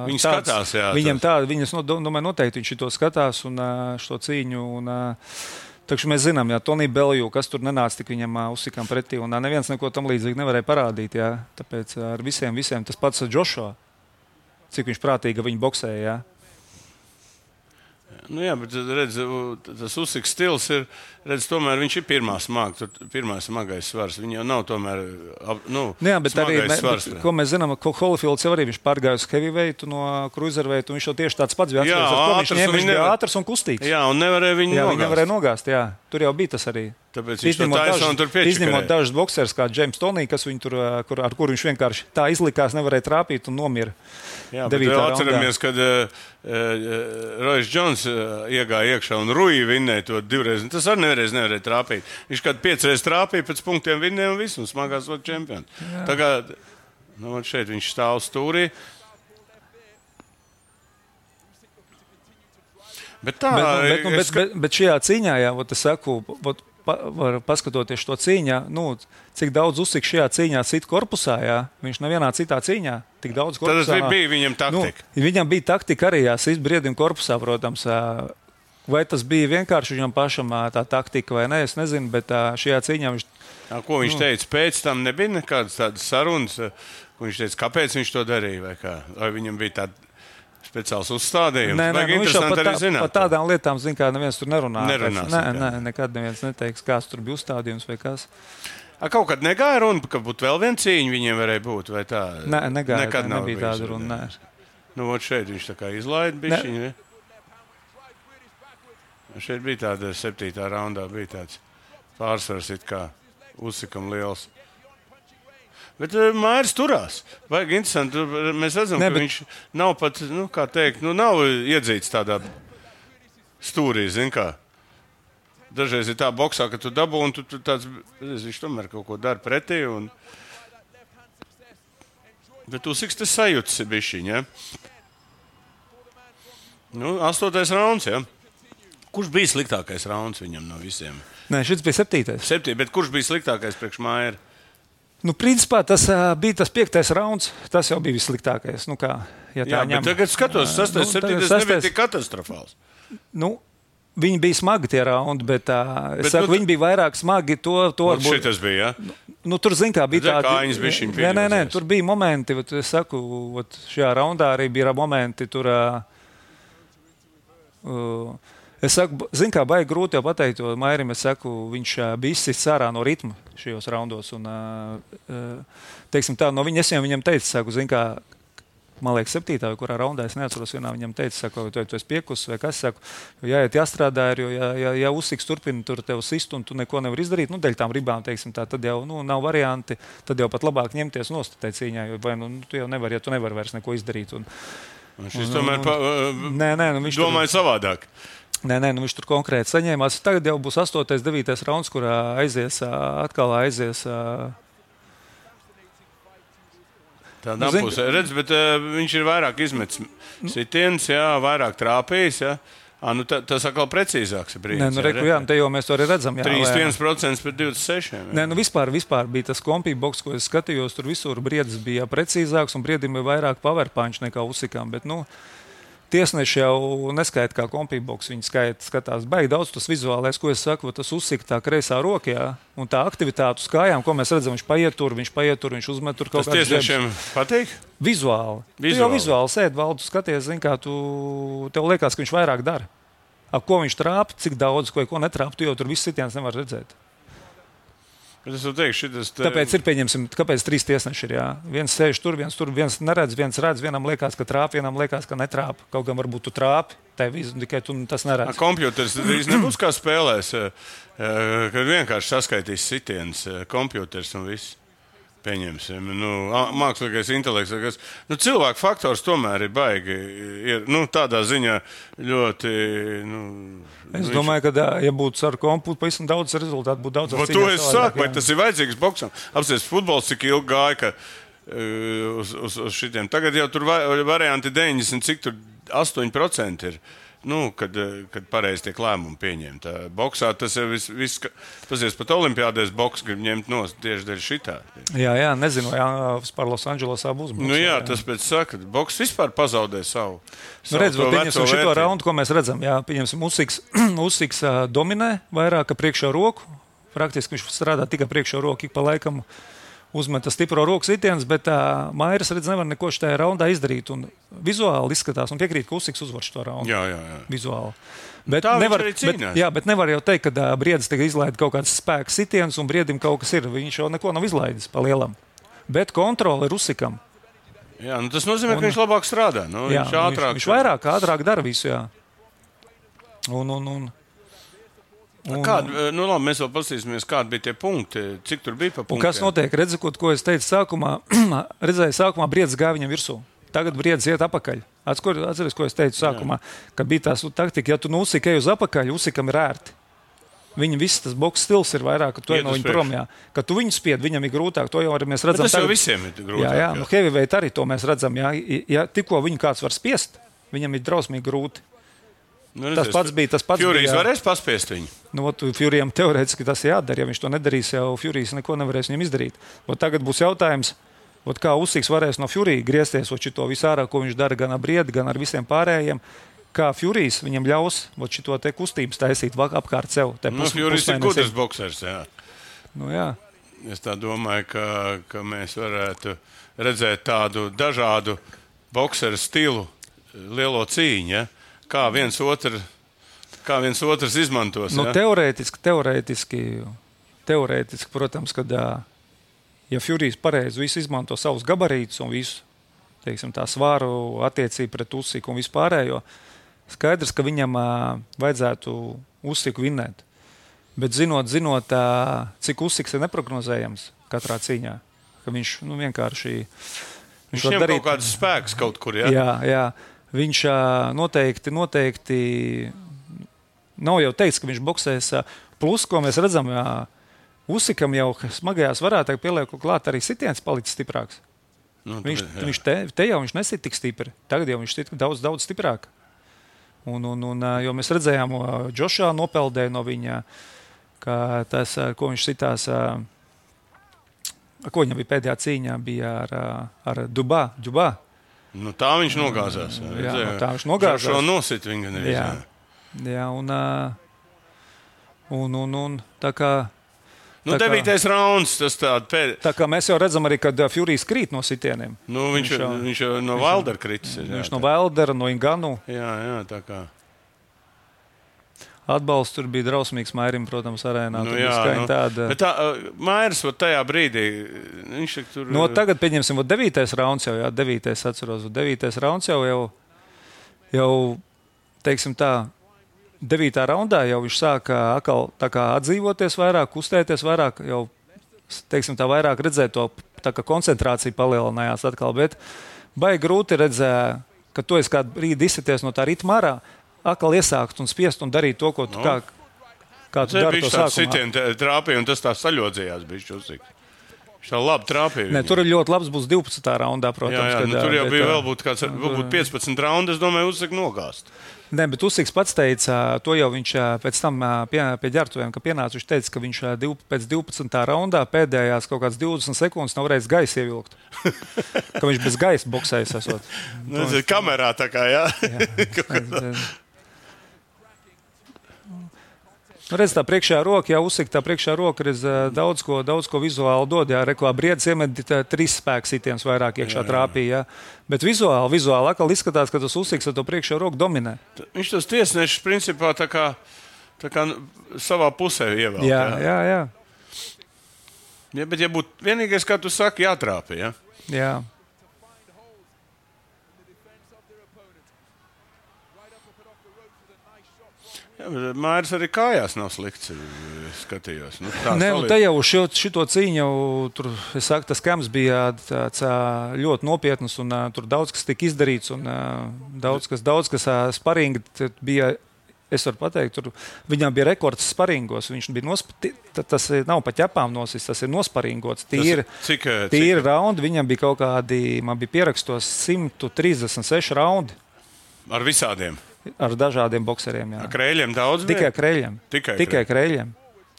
S2: viņi tāds, skatās, jā.
S3: Viņam tā, viņas, no, domāju, noteikti viņš to skatās un šo cīņu. Un, takšu mēs zinām, jā, Tonī Belju, kas tur nenāca tik viņam Usikam pretī, un neviens neko tam līdzīgi nevarēja parādīt, jā. Tāpēc ar visiem, visiem tas pats Joshua, cik viņš prātīgi viņu boksēja, jā.
S2: Nu jā, bet redz, tas Usiks stils ir, redz, tomēr viņš ir pirmā smaga, pirmā smagais svars. Viņa jau nav tomēr, nu,
S3: jā, bet
S2: smagais
S3: arī,
S2: svars.
S3: Bet, ko mēs zinām, ka Holyfields jau arī viņš pārgāja uz heavyweightu no cruiserveitu, un viņš jau tieši tāds pats bija atceries, ar ko viņš ņēma, viņš bija ātrs un kustīgs.
S2: Jā, un nevarēja viņu
S3: jā,
S2: nogāzt.
S3: Viņa nevarēja nogāzt, jā. Tur jau bija tas arī.
S2: Tāpēc viņš to taisa un tur piečakarēja.
S3: Izņemot dažus boksers kā James Toney, kas viņu tur, kur, ar kuru viņš vienkārši tā izlikās, nevarēja trāpīt un nomira.
S2: Jā, bet atceramies, kad uh, uh, Royce Jones uh, iegāja iekšā un Rui vinnēja to divreiz. Tas arī nevarēja, nevarēja trāpīt. Viņš kādu piecreiz trāpīja, pēc punktiem vinnēja un visu, un smagās vēl čempions. Tā kā, nu, šeit viņš stāv stūrī. Bet tā,
S3: bet, nu, bet, nu, bet, bet, bet šajā cīņā, jā, ot, es saku, ot, pa, var paskatoties šo cīņā, nu, cik daudz Usiks šajā cīņā sit korpusā, jā, viņš nevienā citā cīņā tik daudz korpusā.
S2: Tad bija viņam taktika.
S3: Nu, viņam bija taktika arī, jā, sit Briedim korpusā, protams. Vai tas bija vienkārši viņam pašam tā taktika vai ne, es nezinu, bet šajā cīņā viņš...
S2: Jā, ko viņš nu, teica? Pēc tam nebija nekādas tādas sarunas, ko viņš teica, kāpēc viņš to darīja vai kā? Vai viņam bija tāda speciāls uzstādījums.
S3: Nē, nē, nu, viņš jau par, tā,
S2: zināt,
S3: par tādām lietām, zin, kā neviens tur nerunā.
S2: Nerunās,
S3: nē, nē, nekad neviens neteiks, kāds tur bija uzstādījums vai kas.
S2: A, kaut kad negāja runa, ka būtu vēl viena cīņa viņiem varēja būt, vai tā?
S3: Nē, negāja,
S2: nekad
S3: ne, nebija tāda runa, nē.
S2: Nu, ot šeit viņš tā kā izlaida bišķiņu, ne? Šeit bija tāda septītā raundā, bija tāds pārsvars it kā Usikam liels. Bet uh, Mairs turās. Vajag interesanti. Mēs redzam, ne, ka bet... viņš nav pat, nu, kā teikt, nu, nav iedzīts tādā stūrī, zin kā. Dažreiz ir tā boksā, ka tu dabū un tu, tu tāds, viņš tomēr kaut ko dara pretī. Un... Bet Usiks te sajūtas ir bišķiņ, ja? Nu, astotais rauns, jā. Kurš bija sliktākais rauns viņam no visiem?
S3: Nē, šis bija septītais.
S2: Septī, bet kurš bija sliktākais priekš Maiera?
S3: Nu, principā tas uh, bija tas piektais rauns. Tas jau bija vissliktākais. Nu, kā, ja tā
S2: Jā,
S3: ņem.
S2: bet tagad skatos, sastais,
S3: nu,
S2: septītais
S3: sastais...
S2: nebija tik katastrofāls.
S3: Nu, viņi bija smagi tie raundi, bet, uh,
S2: Bet,
S3: es saku,
S2: nu,
S3: viņi bija vairāk smagi. To, to
S2: Un
S3: varbūt...
S2: šitas bija, jā?
S3: Nu, tur, zin kā, bija
S2: Redzēja,
S3: tādi...
S2: kājiņas bišķiņ
S3: Nē, nē, nē,
S2: piedozēs.
S3: tur bija momenti, vat, es saku, vat, šajā raundā arī bija momenti, tur... Uh, uh, es saku, zin kā, baigi grūti jau pateikt, jo Mairim, es saku, viņš uh, bija izsists ārā no ritma šajos raundos. Un, uh, uh, teiksim tā, no viņa es jau viņam teicu, saku, zin kā, man liekas, septītā, vai kurā raundā, es neatceros, vienā viņam teica, saku, tu, tu esi piekusis vai kas, saku, jo jāiet jāstrādā, jo ja, ja, ja uzsiks turpina tur tev sist un tu neko nevar izdarīt, nu, dēļ tām ribām, teiksim tā, tad jau, nu, nav varianti, tad jau pat labāk ņemties nost tai cīņā, jo vai, nu, tu jau nevar, ja tu nevar vairs neko izdarīt. Un,
S2: Un šis
S3: un,
S2: tomēr
S3: un,
S2: pa,
S3: nē, nē, nu, viņš
S2: domāja
S3: tur,
S2: savādāk.
S3: nē, nē, nu, viņš tur konkrēti saņēmās. Tagad jau būs astotais, devītais rauns, kurā aizies, atkal aizies.
S2: Tādā
S3: Nu,
S2: nu,
S3: zin-
S2: pusē, redz, bet uh, viņš ir vairāk izmetis sitiens, jā, vairāk trāpījis, jā. À, nu, ta, tas atkal precīzāks ir brīdis.
S3: Nē, nu, reku, jā, nu, te jau mēs to arī redzam. Jā,
S2: trīsdesmit
S3: vai-
S2: viens procents pret divdesmit seši procenti.
S3: Nē, nu vispār, vispār bija tas kompīboks, ko es skatījos. Tur visur briedis bija precīzāks un briedim bija vairāk powerpunch nekā uzsikām. Bet, nu, tiesneši jau neskaita kā kompīboks. Viņi skaita, skatās baigi daudz tas vizuālais, ko es saku, tas uzsika tā kreisā rokā. Un tā aktivitāte uz kājām, ko mēs redzam, viņš paiet tur, viņš paiet tur, viņš uzmet tur kaut
S2: Tas
S3: kādas
S2: tiesnešiem patīk?
S3: Vizuāli. Tu jau
S2: Vizuāli.
S3: vizuāli sēdi, valdu skaties, zini, kā tu, tev liekas, ka viņš vairāk dara. Ap ko viņš trāpa, cik daudz, ko, ko netrāpa, tu jau tur viss sitiens nevar redzēt.
S2: Bet es teikšu, šitas, te...
S3: Tāpēc ir, pieņemsim, kāpēc trīs tiesneši ir. Jā. Viens sēž tur, viens tur, viens neredz, viens redz, vienam liekas, ka trāpa, vienam liekas, ka netrāpa. Kaut gan varbūt tu trāpi, tev tikai tu tas neredz.
S2: Kompjuters drīz nebūs kā spēlēs, eh, eh, kad vienkārši saskaitīs sitiens, eh, kompjuters un viss. Pieņemsim, nu, a- mākslīgais intelekts. Kas, nu, cilvēku faktors tomēr ir baigi. Ir, nu, tādā ziņā ļoti. Nu,
S3: Es
S2: viņš-
S3: domāju, ka, ja būtu ar komputeru, pavisam daudz rezultātu būtu daudz.
S2: Vai to es saku, vai tas ir vajadzīgs boksam? Apsies, futbols cik ilgi gāja, ka uh, uz, uz, uz šitiem. Tagad jau tur va- varianti deviņdesmit, cik tur astoņi procenti ir. Nu, kad, eh, kad pareizi tiek lēmumi pieņemti. Boksā tas jau viss, vis, pasies pat olimpiādēs boks grib ņemt nost tieši dēļ šitā.
S3: Jā, jā, nezinu, vai jā, vispār Losandželosā būs.
S2: Nu, jā, tas pēc saka, boks vispār pazaudē savu.
S3: Nu, redz,
S2: to
S3: pieņemsim
S2: veco
S3: šo
S2: vērtību.
S3: raundu, ko mēs redzam. Jā, pieņemsim, Usiks, Usiks ā, dominē vairāk ka priekšā roku. Praktiski viņš strādā tikai priekšā roku, ik pa laikam uzmeta stipro roku sitiens, bet uh, Mairis redz nevar neko šajā raundā izdarīt. Un vizuāli izskatās, un piekrīt, ka Usiks uzvar šo raundu.
S2: Jā, jā, jā.
S3: Vizuāli. Bet
S2: tā viņš
S3: nevar,
S2: arī
S3: bet,
S2: cīnās.
S3: jā, bet nevar jau teikt, ka uh, briedis tagad izlaida kaut kāds spēks sitiens, un briedim kaut kas ir. Viņš jau neko nav izlaidis pa lielam. Bet kontrole ir Usikam.
S2: Jā, nu, tas nozīmē,
S3: Un-
S2: ka viņš labāk strādā. Nu,
S3: Jā,
S2: viņš ātrāk.
S3: viņš vairāk, ātrāk dara visu. Jā. Un, un, un, un,
S2: Kāda, nu, labi, mēs vēl paskatīsimies, kādi bija tie punkti, cik tur bija pa
S3: Un
S2: punktiem.
S3: kas notiek? Redzot, ko es teicu sākumā, redzēju, sākumā briedis gāja viņam virsū. Tagad briedis iet apakaļ. Atceries, ko es teicu sākumā, kad bija tā taktika, ja tu nu uzsiki uz apakaļ, uzsikam ir ērti. Viņa viss tas boks stils ir vairāk, ka tu ej
S2: Iet
S3: no
S2: uz
S3: viņa
S2: priekšu.
S3: prom. Jā. Kad tu viņu spied, viņam ir grūtāk. To jau arī mēs
S2: Bet
S3: redzam.
S2: tas jau visiem ir grūtāk.
S3: Jā, jā, nu, heavyweight arī to mēs redzam. Jā. Ja tikko viņu kāds var spiest, viņam ir drausmīgi grūti.
S2: Nu,
S3: Tas pats bija, tas pats
S2: Furijs
S3: bija, jā.
S2: varēs paspiest viņu.
S3: Nu, ot, Furijam teorētiski tas ir jādara. Ja viņš to nedarīs, jau Furijs neko nevarēs viņam izdarīt. Ot, tagad būs jautājums, ot, kā Usiks varēs no Furija griezties uz šo visu ārā, ko viņš dara gan ar briedi, gan ar visiem pārējiem. Kā Furijs viņam ļaus šo kustību taisīt vak- apkārt sev.
S2: Nu, Furijs ir gudrs boksers. Jā.
S3: Nu, jā.
S2: Es tā domāju, ka, ka mēs varētu redzēt tādu dažādu bokseru stilu, lielo cīņu. Ja? Kā viens otru, kā viens otrs izmantos.
S3: Nu,
S2: Ja?
S3: teorētiski, teorētiski, teorētiski, protams, kad ā, ja Furijs pareizi visu izmanto savus gabarītus un visu, teiksim, tā svāru attiecību pret Usiku un vispārējo, skaidrs, ka viņam ā, vajadzētu Usiku vinnēt. Bet zinot, zinot ā, cik Usiks ir neprognozējams katrā cīņā, ka viņš nu, vienkārši
S2: Viņš ņem kaut kāds spēks kaut kur. Ja?
S3: Jā, jā. Viņš ā, noteikti, noteikti nav jau teicis, ka viņš boksēs. ā, Plus, ko mēs redzam, jā, Usikam jau smagajās varētu pieliekt klāt arī sitiens palicis stiprāks.
S2: Nu,
S3: Viņš,
S2: jā.
S3: viņš te, te jau viņš nesit tik stipri. Tagad jau viņš ir daudz, daudz stiprāk. Un, un, un, jo mēs redzējām, Džošā nopeldēja no viņa, ka tas, ko viņš sitās, ko viņam bija pēdējā cīņā, bija ar, ar Dubā. Dubā.
S2: Nu, tā viņš nogāzās. Jā,
S3: jā, nu, tā viņš nogāzās.
S2: Šo nosit viņa nevis.
S3: Jā, jā un, un, un, un tā kā...
S2: Nu, tā devītais kā, rauns, tas tāda pēd...
S3: Tā kā mēs jau redzam arī, kad Furijs krīt no sitieniem.
S2: Nu, viņš, viņš, jau, viņš jau no Wildera kritis.
S3: Jā, viņš no Wildera, no Inganu.
S2: Jā, jā, tā kā.
S3: Atbalsts tur bija drausmīgs Mairim, protams, arēnā.
S2: Nu, jā, nu, tāda... Bet tā, Mairis tajā brīdī, viņš tur...
S3: No, tagad, pieņemsim, vat devītais rauns jau, jā, devītais atceros, vat devītais rauns jau, jau, jau, teiksim tā, devītā raundā jau viņš sāka atkal tā kā atdzīvoties vairāk, kustēties vairāk, jau, teiksim tā, vairāk redzēt to, tā kā koncentrācija palielinājās atkal, bet baigi grūti redzēt, ka tu esi kādu brīdi izsities no tā ritma ārā, atkal iesākt un spiest un darīt to, ko tu no. kā, kā tu dari to sākumā. Tas
S2: sitieni trāpīja un tas tā saļodzījās bišķi uzsik. Viņš tā labi trāpīja.
S3: Ne, tur ir ļoti labs būs divpadsmitā raundā, protams.
S2: Jā, jā,
S3: kad,
S2: nu, tur jau
S3: bet,
S2: bija vēl būt kāds, varbūt piecpadsmit raundi, es domāju, uzsik nogāst.
S3: Nē, bet Usiks pats teica, to jau viņš pēc tam pie, pie ģērbtuviem, ka pienāca, viņš teica, ka viņš div, pēc divpadsmitā raundā pēdējās kaut kāds divdesmit sekundes nav varējis gaisa ievilkt. Ka viņš bez gaisa boksējas esot.
S2: Nu, tas ir kamerā tā kā, jā.
S3: jā. Nu, redz, tā priekšējā roka, jā, Usika, tā priekšējā roka ir daudz ko, daudz ko vizuāli dod, jā, rekvā briedis iemet trīs spēks sitiens vairāk iekšā trāpīja, jā. Bet vizuāli, vizuāli akal izskatās, ka tas Usiks ar to priekšējā roku dominē.
S2: Viņš tos tiesnešus principā tā kā, tā kā savā pusē ievēl.
S3: Jā, jā, jā.
S2: Ja, bet ja būtu vienīgais, kā tu saki, jātrāpi, jā?
S3: Jā.
S2: Jā, Māris arī kājās nav slikts, skatījos. Nu,
S3: Nē, nu, te jau šo, šito cīņu, tur, es saku, tas kams bija tāds ļoti nopietnas un tur daudz kas tika izdarīts un daudz kas, daudz kas sparingi bija, es varu pateikt, tur viņam bija rekords sparingos, viņš bija nosp... tas nav pa ķepām nosis, tas ir nosparingots, tīri,
S2: cik,
S3: tīri
S2: cik?
S3: raundi, viņam bija kaut kādi, man bija pierakstos simt trīsdesmit seši raundi.
S2: Ar visādiem?
S3: Ar dažādiem bokseriem, jā.
S2: Ar kreļiem daudz bija?
S3: Tikai kreļiem.
S2: Tikai,
S3: Tikai kreļiem.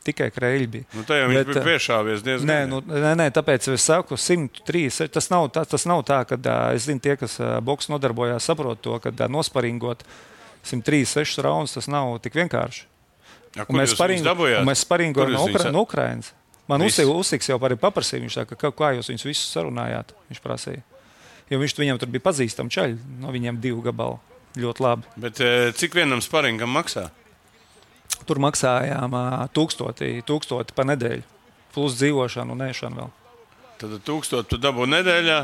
S3: Tikai kreļi bija.
S2: Nu, tā jau viņš Bet, bija piešāvies diezgan.
S3: Nē, nu, nē, nē, tāpēc es saku simt trīs. Tas nav tā, tas nav tā ka es zinu, tie, kas boks nodarbojās, saprot to, ka nosparingot simt trīs sešus raundus, tas nav tik vienkārši.
S2: Ja, kur jūs viņus dabujāt?
S3: Mēs sparingojam no, Ukra, no Ukrainas. Man Usiks jau arī paprasīja, viņš saka, kā, kā jūs viņus visus sarunājāt, viņš prasīja. Jo viņš viņam tur bija pazīstam čaļi, no viņiem divu gabalu. Ļoti labi.
S2: Bet cik vienam sparingam maksā?
S3: Tur maksājām tūkstoti, tūkstoti pa nedēļu. Plus dzīvošanu un ēšanu vēl.
S2: Tad tūkstoti tu dabū nedēļā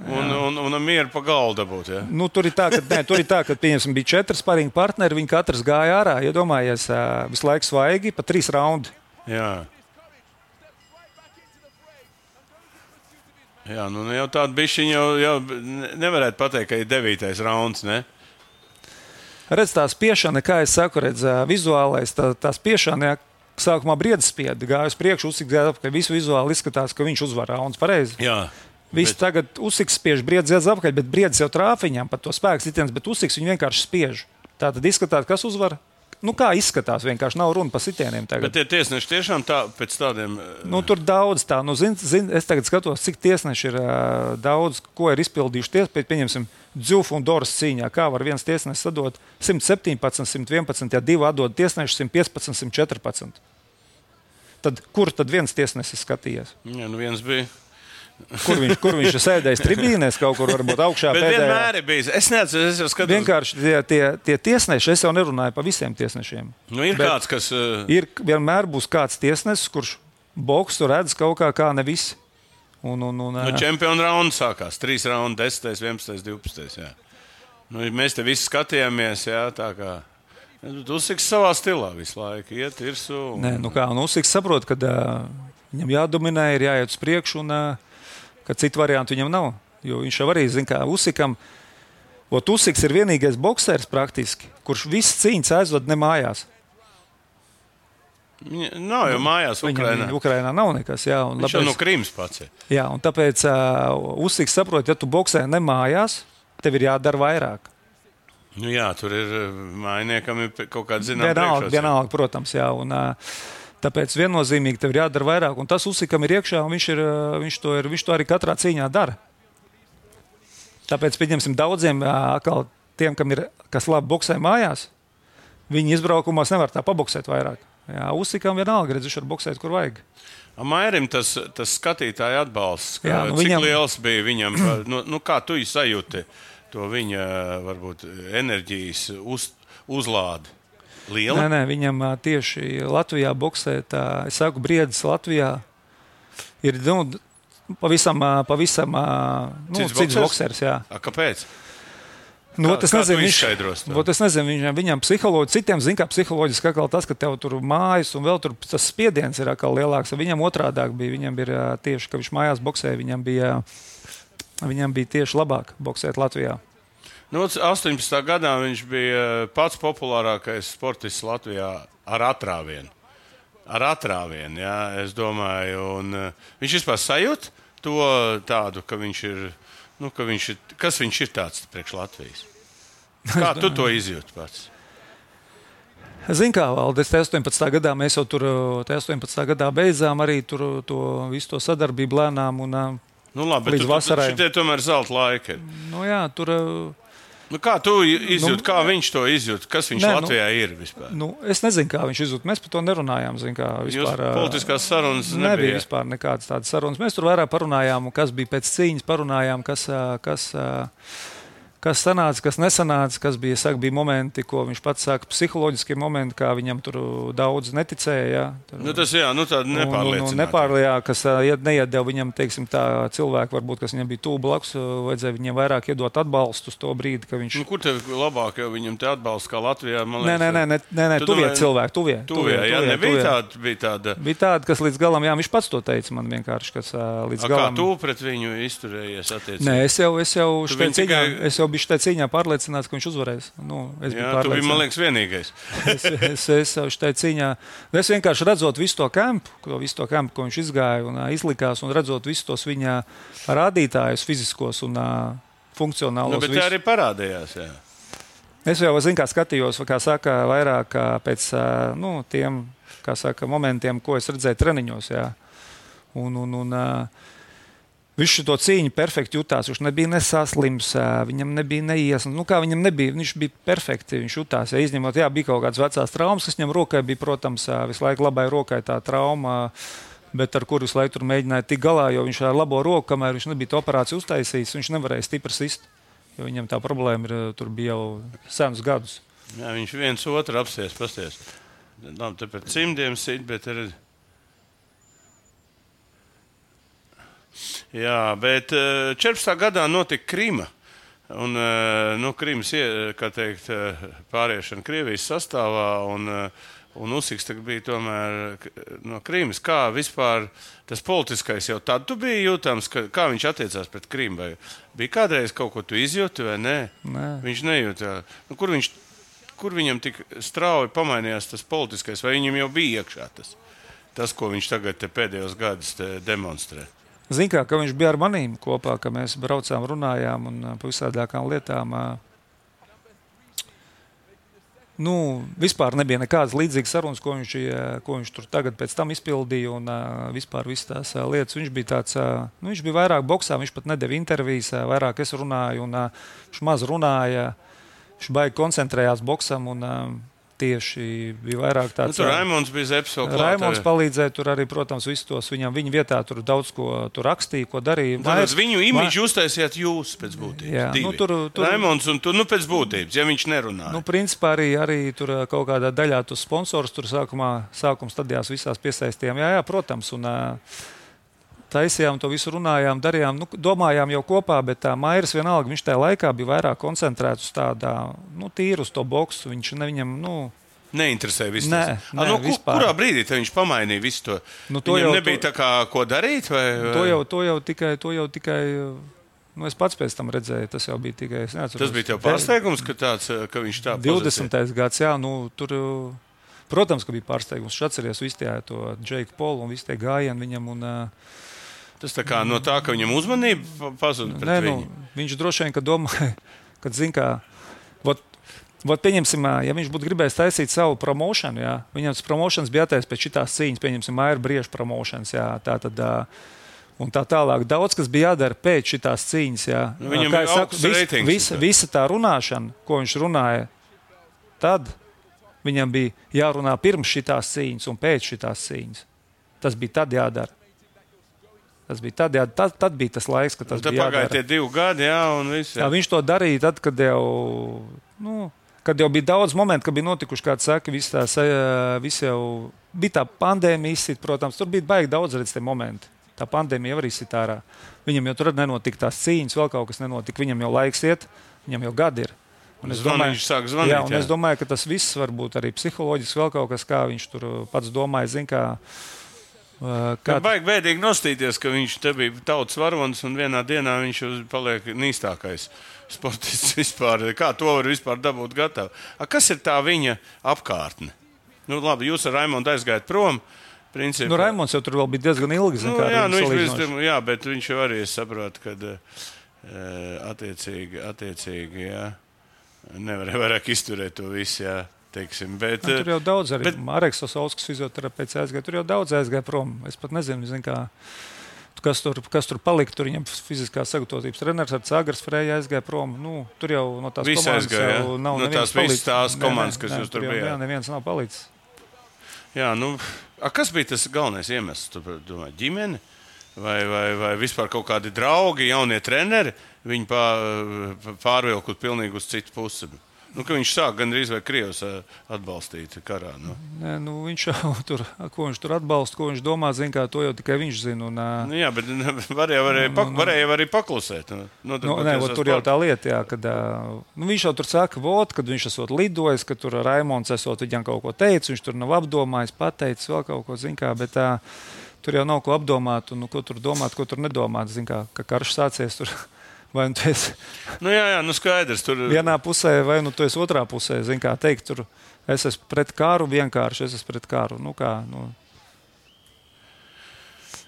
S2: un, un, un, un mieru pa galdu dabūt, jā?
S3: Nu, tur ir tā, ka, nē, tur ir tā, ka pieņemsim, bija četri sparinga partneri, viņi katrs gāja ārā. Iedomājies, visu laiku svaigi pa trīs raundi.
S2: Jā. Jā, nu jau tāda bišķiņa jau, jau nevarētu pateikt, ka ir devītais rauns, ne?
S3: Redz, tā spiešana, kā es saku, redz, vizuālais, tā, tā spiešana, jā, sākumā briedis spieda, gāja uz priekšu, Usiks gāja apakaļ, visu vizuāli izskatās, ka viņš uzvar rauns, pareizi?
S2: Jā.
S3: Viss bet... tagad Usiks spiež, briedis iedz apakaļ, bet briedis jau trāp viņam pat to spēku sitiens, bet Usiks viņu vienkārši spiež. Tā tad izskatās, kas uzvar? Nu, kā izskatās, vienkārši nav runa par sitieniem tagad.
S2: Bet tie tiesneši tiešām tā, pēc tādiem...
S3: Nu, tur daudz tā, nu, zin, zin, es tagad skatos, cik tiesneši ir uh, daudz, ko ir izpildījuši ties, pēc, pieņemsim, Dzuf un Doras cīņā, kā var viens tiesnesis sadot simt septiņpadsmit, simt vienpadsmit, ja divi atdod tiesneši simt piecpadsmit, simt četrpadsmit. Tad kur tad viens tiesnesis skatījies?
S2: Jā, nu viens bija...
S3: Kur viņš, kur viņš ir sēdējis tribīnēs, kaut kur varbūt augšā
S2: bet
S3: pēdējā.
S2: Bet vienmēr ir bijis. Es neatceru, es jau skatos.
S3: Vienkārši tie, tie, tie tiesneši, es jau nerunāju par visiem tiesnešiem.
S2: Nu, ir kāds, kas... Uh...
S3: Ir, vienmēr būs kāds tiesnesis, kurš boksu redz kaut kā, kā ne visi. Un, un, un,
S2: nu, čempionu raundu sākās. Trīs raundi, desmitais, vienpadsmitais, divpadsmitais, jā. Nu, mēs te visi skatījāmies, jā, tā kā... Usiks savā stilā visu laiku iet, irsu. Un...
S3: Nē, nu kā, un Usiks saprot, ka uh, viņam jādominē, ir jāiet uz priekšu un... Uh, ka citu variantu viņam nav. Jo viņš jau arī zina, kā Usikam. Ot, Usiks ir vienīgais boksers praktiski, kurš viss cīņas aizved ne mājās.
S2: Viņa nav jau mājās Ukrainā.
S3: Viņam Ukrainā nav nekas, jā. Un
S2: viņš jau no Krimas pats ir.
S3: Jā, un tāpēc uh, Usiks saprot, ja tu boksē ne mājās, tev ir jādara vairāk.
S2: Nu jā, tur ir mājiniekam ir kaut kāda zināma
S3: Vienalga, vienalga, protams, jā. Un, tāpēc viennozīmīgi tev ir jādara vairāk. Un tas Usikam ir iekšā, un viņš, ir, viņš, to ir, viņš to arī katrā cīņā dara. Tāpēc, pieņemsim, daudziem, atkal tiem, kam ir, kas labi boksē mājās, viņi izbraukumos nevar tā paboksēt vairāk. Jā, Usikam vienalga, redz, viņš var boksēt, kur vajag.
S2: Mairim tas, tas skatītāja atbalsts, ka,
S3: jā, nu,
S2: cik
S3: viņam...
S2: liels bija viņam, nu, nu kā tu sajūti to viņa, varbūt, enerģijas uz, uzlādi? Liela?
S3: Nē, nē, viņam tieši Latvijā boksē, tā, es saku, briedis Latvijā ir, nu, pavisam, pavisam, nu,
S2: cits
S3: cits boksers, jā.
S2: A, kāpēc?
S3: Nu,
S2: kā,
S3: es
S2: kā
S3: nezinu,
S2: tu
S3: viņš,
S2: izskaidros to?
S3: Es nezinu, viņam, viņam psiholoģi, citiem zin, kā psiholoģiski atkal tas, ka tev tur mājas un vēl tur tas spiediens ir atkal lielāks. Viņam otrādāk bija, viņam bija tieši, ka viņš mājās boksēja, viņam bija, viņam bija tieši labāk boksēt Latvijā.
S2: Nu, astoņpadsmitā gadā viņš bija pats populārākais sportists Latvijā ar atrāvienu. Ar atrāvienu, jā, es domāju. Un, uh, viņš vispār sajūt to tādu, ka viņš ir, nu, ka viņš ir, kas viņš ir tāds priekš Latvijas? Kā tu to izjūti pats?
S3: Zini, kā Valdes, astoņpadsmitā gadā mēs jau tur, astoņpadsmitā gadā beidzām arī tur to visu to sadarbību lēnām un
S2: nu, labi,
S3: līdz
S2: bet
S3: vasarai.
S2: Šitie tomēr zelta laika ir.
S3: Nu jā, tur...
S2: Nu, kā tu izjūti, nu, kā viņš to izjūt? Kas viņš
S3: ne,
S2: Latvijā
S3: nu,
S2: ir vispār?
S3: Nu, es nezinu, kā viņš izjūt. Mēs par to nerunājām. Zin, kā, vispār,
S2: Jūs politiskās sarunas nebija?
S3: Nebija vispār nekādas tādas sarunas. Mēs tur vairāk parunājām, kas bija pēc cīņas, parunājām, kas... kas Kas sanāca, kas nesanāca, kas bija, saka, bija momenti, ko viņš pats saka, psiholoģiskie momenti, kā viņam tur daudz neticēja. Jā, tur,
S2: nu, tas jā, nu tāda nepārliecināta.
S3: Nu, nepārliecināta, kas neiedeva viņam, teiksim, tā cilvēku, varbūt, kas viņam bija tuvu blakus, vajadzēja viņam vairāk iedot atbalstu uz to brīdi, ka viņš...
S2: Nu, kur tev labāk, jo viņam te atbalsts kā Latvijā, man liekas...
S3: Nē, nē, nē, nē, nē tuvie domāju, cilvēki, tuvie.
S2: Tuvie, jā, tuvie, nebija tuvie. Tāda, bija tāda...
S3: Bija tāda, kas līdz galam, jā, viņš pats to teica man vienkārši, kas līdz
S2: A,
S3: galam...
S2: Kā tu pret viņu izturējies attiecīgi?
S3: Nē, es jau, es jau štai cīņā,
S2: tikai...
S3: es jau biju štai cīņā pārliecināts, ka viņš uzvarēs. Nu, es
S2: jā, tu biji, man liekas, vienīgais.
S3: es, es, es jau štai cīņā, es vienkārši redzot visu to kampu, to visu to kampu, ko viņš izgāja un uh, izlikās, un redzot visus tos viņa rādītājus fiziskos un uh, funkcionālos.
S2: Nu, bet tā arī parādījās, jā.
S3: Es jau, zinu, kā skatījos, kā saka, vairāk pēc uh, nu, tiem, kā saka, momentiem, ko es redzēju treniņos, jā. Un, un, un uh, viņš to cīņu perfekti jutās. Viņš nebija nesaslims, viņam nebija neiesnas. Nu, kā viņam nebija, viņš bija perfekti. Viņš jutās, ja izņemot, jā, bija kaut kādas vecās traumas, kas viņam rokai bija, protams, visu laiku labai rokai tā trauma, bet ar kuru visu laiku tur mēģināja tikt galā, jo viņš ar labo roku, kamēr viņš nebija to operāciju uztaisījis, viņš nevarēja stipri sist, jo viņam tā problēma ir, tur bija jau senus gadus.
S2: Jā, viņš viens otru apsies, pasties. Labi, te par cimdiem sit, bet ir... Jā, bet četrpadsmitā gadā notika Krima. Un, nu, Krimas, kā teikt, pāriešana Krievijas sastāvā, un, un Usiks bija tomēr no Krimas. Kā vispār tas politiskais jau tad tu biji jūtams, ka, kā viņš attiecās pret Krimu? Vai bija kādreiz kaut ko tu izjūti vai nē?
S3: Nē.
S2: Viņš nejūtā. Nu, kur, viņš, kur viņam tik strauji pamainījās tas politiskais, vai viņam jau bija iekšā tas, tas ko viņš tagad te pēdējos gadus te demonstrē?
S3: Zini, kā, ka viņš bija ar manīm kopā, ka mēs braucām, runājām un par visādākām lietām. Nu, vispār nebija nekādas līdzīgas sarunas, ko viņš, ko viņš tur tagad pēc tam izpildīja un vispār visas tās lietas. Viņš bija tāds, nu, viņš bija vairāk boksā, viņš pat nedeva intervijas, vairāk es runāju un viņš maz runāja, viņš baigi koncentrējās boksam un tieši bija vairāk tāds...
S2: Nu, tur Raimonds bija Zepes vēl klāt.
S3: Raimonds palīdzēja tur arī, protams, visus tos viņam, viņa vietā tur daudz ko tur rakstīja, ko darīja.
S2: Tāpēc viņu imidžu uztaisījāt jūs pēc būtības.
S3: Jā,
S2: divi.
S3: Nu, tur, tur...
S2: Raimonds un tu, nu, pēc būtības, ja viņš nerunāja.
S3: Nu, principā arī, arī tur kaut kādā daļā tos sponsors tur sākumā, sākuma stadijās visās piesaistījām. Jā, jā, protams, un taisījām to visu, runājām, darījām, nu, domājām jau kopā, bet tā Mairis vienalga, viņš tajā laikā bija vairāk koncentrēts uz tādā, nu, tīru uz to boksu, viņš ne viņam, nu...
S2: Neinteresēja visu
S3: nē,
S2: tas.
S3: Nē,
S2: nu,
S3: vispār.
S2: Kurā brīdī te viņš pamainīja visu to?
S3: Nu, to
S2: Viņam
S3: jau,
S2: nebija
S3: to...
S2: tā kā ko darīt, vai? vai?
S3: To jau, to jau tikai, to jau tikai, nu, es pats pēc tam redzēju, tas jau bija tikai, es neatceros.
S2: Tas bija tev pārsteigums, ka tāds, ka viņš tā
S3: divdesmitais gads, jā, nu, tur... Protams, ka bija pārsteigums. Viņš atceries visu tie to Džeiku Polu un visu tie gājienu viņam un...
S2: Tas tā kā no tā, ka viņam uzmanība pazuda pret
S3: nē,
S2: viņu?
S3: Nu, viņš droši vien, ka domāja, kad zin kā, vat, Vot, pieņemsim, ja viņš būtu gribējis taisīt savu promošanu, jā, viņam tas promošanas bija jātais pēc šitās cīņas, pieņemsim, Maira Brieža promošanas, jā, tā tad, un tā tālāk. Daudz, kas bija jādara pēc šitās cīņas, jā.
S2: Nu, viņam bija augsts reitings.
S3: Visa, visa tā runāšana, ko viņš runāja tad, viņam bija jārunā pirms šitās cīņas un pēc šitās cīņas. Tas bija tad jādara. Tas bija tad, jā, tad, tad bija tas laiks, kad tas
S2: un
S3: bija jādara.
S2: Tad pagāja tie divi gadi, jā, un viss. Jā.
S3: Jā, viņš to darīja tad, kad jau, nu, kad jau bija daudz momentu, kad bija notikuši, kā saka, viss tās, viss jau bija tā pandēmija izsit, protams, tur bija baigi daudz redz tie momenti. Tā pandēmija jau arī izsit ārā. Viņam jau tur nenotika tās cīņas, vēl kaut kas nenotika, viņam jau laiks iet, viņam jau gadi ir. Un es domāju,
S2: viņš sāk zvanīt,
S3: jā, un
S2: jā.
S3: es domāju, ka tas viss varbūt arī psiholoģiski vēl kaut kas, kā viņš tur pats domāja, zin, kā
S2: Kā baigi bēdīgi nostīties, ka viņš te bija tautas varonis un vienā dienā viņš paliek nīstākais sportists vispār. Kā to var vispār dabūt gatavu? A, kas ir tā viņa apkārtne? Nu, labi, jūs ar Raimondu aizgājat prom. Principā.
S3: Nu, Raimonds jau tur vēl bija diezgan ilgi. Zin,
S2: nu, jā, nu,
S3: viņš
S2: bija, jā, bet viņš jau arī saprot, ka attiecīgi, attiecīgi jā, nevarēja vairāk izturēt to visu. Jā. Teiksim, bet,
S3: nu, tur jau daudz arī.
S2: Bet...
S3: Mareks Osauskas fizioterapeits aizgāja. Tur jau daudz aizgāja prom. Es pat nezinu, zin, kā, kas, tur, kas tur palika. Tur viņam fiziskās sagatavotības treneris ar Cāgars Freja aizgāja prom. Nu, tur jau no tās
S2: Visi
S3: komandas
S2: aizgāja,
S3: jau nav
S2: no
S3: neviens
S2: tās
S3: palicis.
S2: Tās komandas,
S3: nē,
S2: kas
S3: nē,
S2: jūs tur
S3: jau,
S2: bijāt.
S3: Jā, neviens nav palicis.
S2: Jā, nu, a, kas bija tas galvenais iemesls? Tu domā, ģimene? Vai, vai, vai vispār kaut kādi draugi, jaunie treneri? Viņi pārvilkot pilnīgi uz citu pusi. Nu, ka viņš sāk gandrīz vai Krievs atbalstīt karā. Nu.
S3: Nē, nu, viņš jau tur, ko viņš tur atbalsta, ko viņš domā, zin, kā to jau tikai viņš zina. Un,
S2: nu, jā, bet varēja, varēja, pak, varēja arī paklusēt. Nu,
S3: nu, nē, ot, tur jau tā lieta, jā, kad nu, viņš jau tur saka, vot, kad viņš esot lidojis, ka tur Raimonds esot viņam kaut ko teicis, viņš tur nav apdomājis, pateicis vēl kaut ko, zin kā, bet tā, tur jau nav ko apdomāt, un nu, ko tur domāt, ko tur nedomāt, zin kā, ka karš sācies tur. Vai nu tu esi
S2: nu, jā, jā, nu skaidrs, tur...
S3: vienā pusē, vai nu tu esi otrā pusē. Zin kā teikt, tur es esmu pret kāru vienkārši, es esmu pret kāru. Nu kā, nu...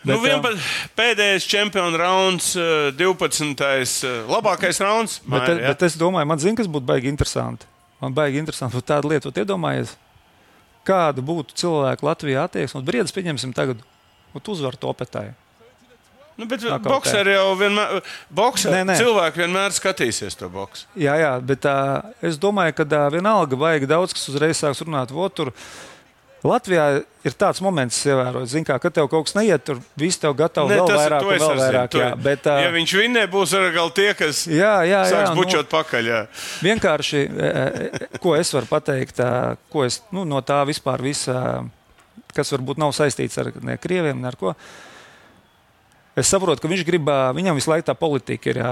S2: Bet, nu, vienpa, pēdējais čempionu rauns, divpadsmitais labākais rauns.
S3: Bet, Māja, bet es domāju, man zin, kas būtu baigi interesanti. Man baigi interesanti būtu tāda lieta, iedomājies, kāda būtu cilvēku Latvijā attieksme. Un briedis pieņemsim tagad, un tu uzvar topetāju.
S2: Nu, bet bokseri jau vienmēr, bokseri, nē, nē. cilvēki vienmēr skatīsies to boksu.
S3: Jā, jā, bet uh, es domāju, ka uh, vienalga vajag daudz, kas uzreiz sāks runāt. Vot, tur Latvijā ir tāds moments, ievērot, zin kā, kad tev kaut kas neiet, tur viss tev gatavi vēl
S2: tas,
S3: vairāk, vēl vairāk. Jā, bet, uh,
S2: ja viņš vinnē, būs arī tie, kas
S3: jā, jā,
S2: sāks
S3: jā,
S2: bučot
S3: nu,
S2: pakaļ. Jā.
S3: Vienkārši, ko es varu pateikt, ko es nu, no tā vispār visa, kas varbūt nav saistīts ar ne krieviem, ne ar ko. Es saprotu, ka viņš grib, viņam visu laiku tā politika ir, jā,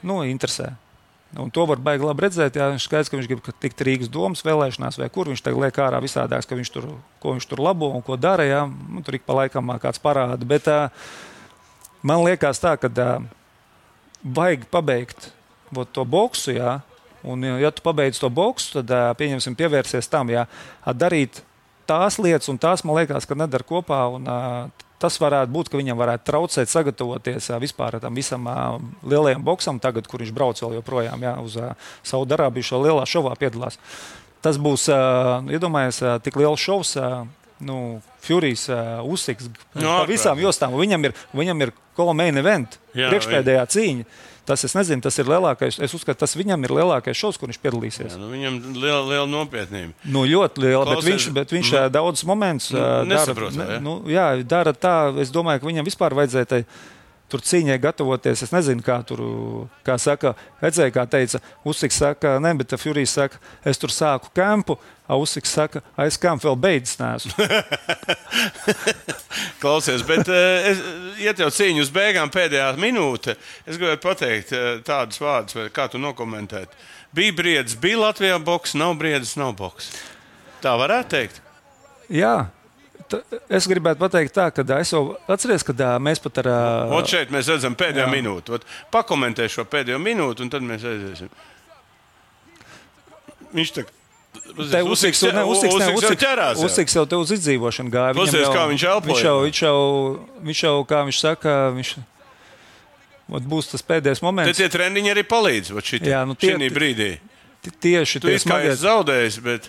S3: nu, interesē. Un to var baigi labi redzēt, jā, viņš skaidrs, ka viņš grib tikt Rīgas domas vēlēšanās vai kur, viņš tagad liek ārā visādāks, ka viņš tur, ko viņš tur labo un ko dara, jā, nu, tur ik pa laikam kāds parāda, bet uh, man liekas tā, ka uh, vajag pabeigt ot, to boksu, jā, un ja tu pabeidz to boksu, tad uh, pieņemsim pievērsies tam, jā, darīt tās lietas un tās, man liekas, ka nedara kopā un uh, tas varētu būt, ka viņam varētu traucēt sagatavoties vispār tam visam uh, lielajam boksam tagad, kur viņš brauc vēl joprojām jā, uz uh, Saudarābiju šo lielā šovā piedalās. Tas būs, uh, iedomājies, uh, tik liels šovs, uh, nu, Furijs, uh, Usiks, no, pa visām jostām. Viņam ir, viņam ir main event, jā, priekšpēdējā cīņa. Tas, es nezinu, tas ir lielākais, es uzskatu, tas viņam ir lielākais šovs, kur viņš piedalīsies.
S2: Jā, nu, viņam liela, liela nopietnība.
S3: Nu, ļoti liela,
S2: Klausies,
S3: bet viņš, bet viņš nu, daudz momentus
S2: nu, nesaprot,
S3: dara,
S2: jā.
S3: Nu, jā, dara tā, es domāju, ka viņam vispār vajadzēja tai, tur cīņai gatavoties. Es nezinu, kā tur, kā saka, redzēja, kā teica, Usiks saka, ne, bet Furijs saka, es tur sāku kampu, a Usiks saka, aiz kampu vēl beidzis neesmu.
S2: Klausies, bet es, iet jau cīņu uz beigām pēdējā minūte, es gribētu pateikt tādus vārdus, vai kā tu nokomentēt. Bija briedis, bija Latvijā boks, nav briedis, nav boks. Tā varētu teikt?
S3: Jā. Es gribētu pateikt tā, ka es jau atceries, ka mēs pat ar...
S2: Ot šeit mēs redzam pēdējo jā. minūtu. Ot, pakomentē šo pēdējo minūtu, un tad mēs aiziesim. Viņš tā...
S3: Te Usiks, ne, Usiks, ne, Usiks,
S2: ķerās,
S3: Usiks jau te uz izdzīvošanu gāja.
S2: Klausies, kā viņš elpoja.
S3: Viņš jau, viņš jau, viņš jau, kā viņš saka, viņš... Ot būs tas pēdējais moments.
S2: Te tie trendiņi arī palīdz, ot šitā,
S3: jā, nu tie,
S2: šī brīdī.
S3: tieši
S2: Tu
S3: tie
S2: esi kā
S3: smagie.
S2: esi zaudējis, bet,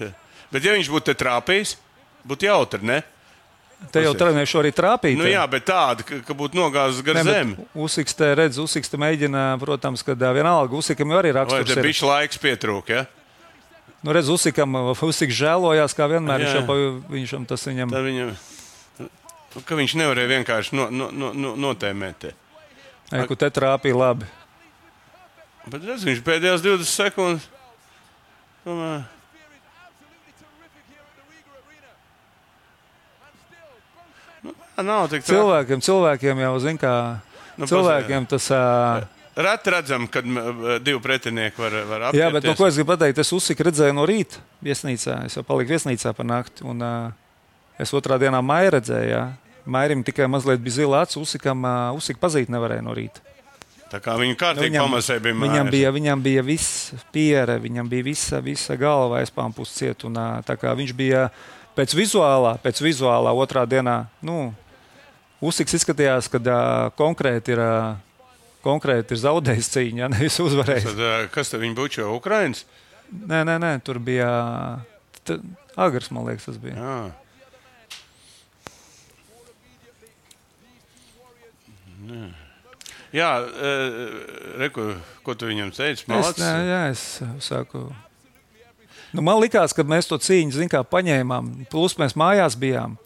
S2: bet ja viņš būtu te trāpījis, būtu jautri, ne?
S3: Te jau trenēšu arī trāpīt.
S2: Nu jā, bet tāda, ka, ka būtu nogāzis gar zemi.
S3: Usiks te redz, Usiks te mēģina, protams, kad ā, vienalga Usikam jau arī
S2: Vai
S3: raksturs
S2: te
S3: ir.
S2: bišķi laiks pietrūk, ja?
S3: Nu redz, Usikam, Usiks žēlojās, kā vienmēr,
S2: Jā.
S3: viņš jau, pa- viņš jau tas viņam.
S2: Tad viņam, ka viņš nevarēja vienkārši no, no, no, no, notēmēt te.
S3: Ei, ku te trāpīja labi.
S2: Bet redz, viņš pēdējās divdesmit sekundes. Tomēr. Nu, nav tik traki.
S3: Cilvēkiem, cilvēkiem jau, zin kā,
S2: Nu,
S3: cilvēkiem tas... ā,
S2: Reti redzam, kad m- divi pretinieki var, var apieties.
S3: Jā, bet no ko es gribu pateikt, es Usiku redzēju no rīta viesnīcā. Es jau paliku viesnīcā par nakti. Un, uh, es otrā dienā Maiju redzēju. Jā. Mairim tikai mazliet bija zila acis. Usikam uh, Usiku pazīt nevarēja no rīta.
S2: Tā kā viņu kārtīgi
S3: Viņam-
S2: pamasē bija
S3: Viņam
S2: mājās.
S3: bija, viņam bija viss piere, viņam bija visa, visa galva aizpāmpus ciet. Un, uh, tā kā viņš bija pēc vizuālā, pēc vizuālā otrā dienā, nu, Usiks izskatījās, ka uh, konkrēti ir... Uh, Konkrēti ir zaudējis cīņu, ja nevis uzvarējis.
S2: Tad, ā, kas te viņa bučo? Ukrainas?
S3: Nē, nē, nē, tur bija t- Agrs, man liekas, tas bija.
S2: Jā. Nē. Jā, e, reku, ko tu viņam teici?
S3: Es,
S2: Malacis?
S3: nē, jā, es saku. Nu, man likās, ka mēs to cīņu, zin kā, paņēmām. Plus mēs mājās bijām.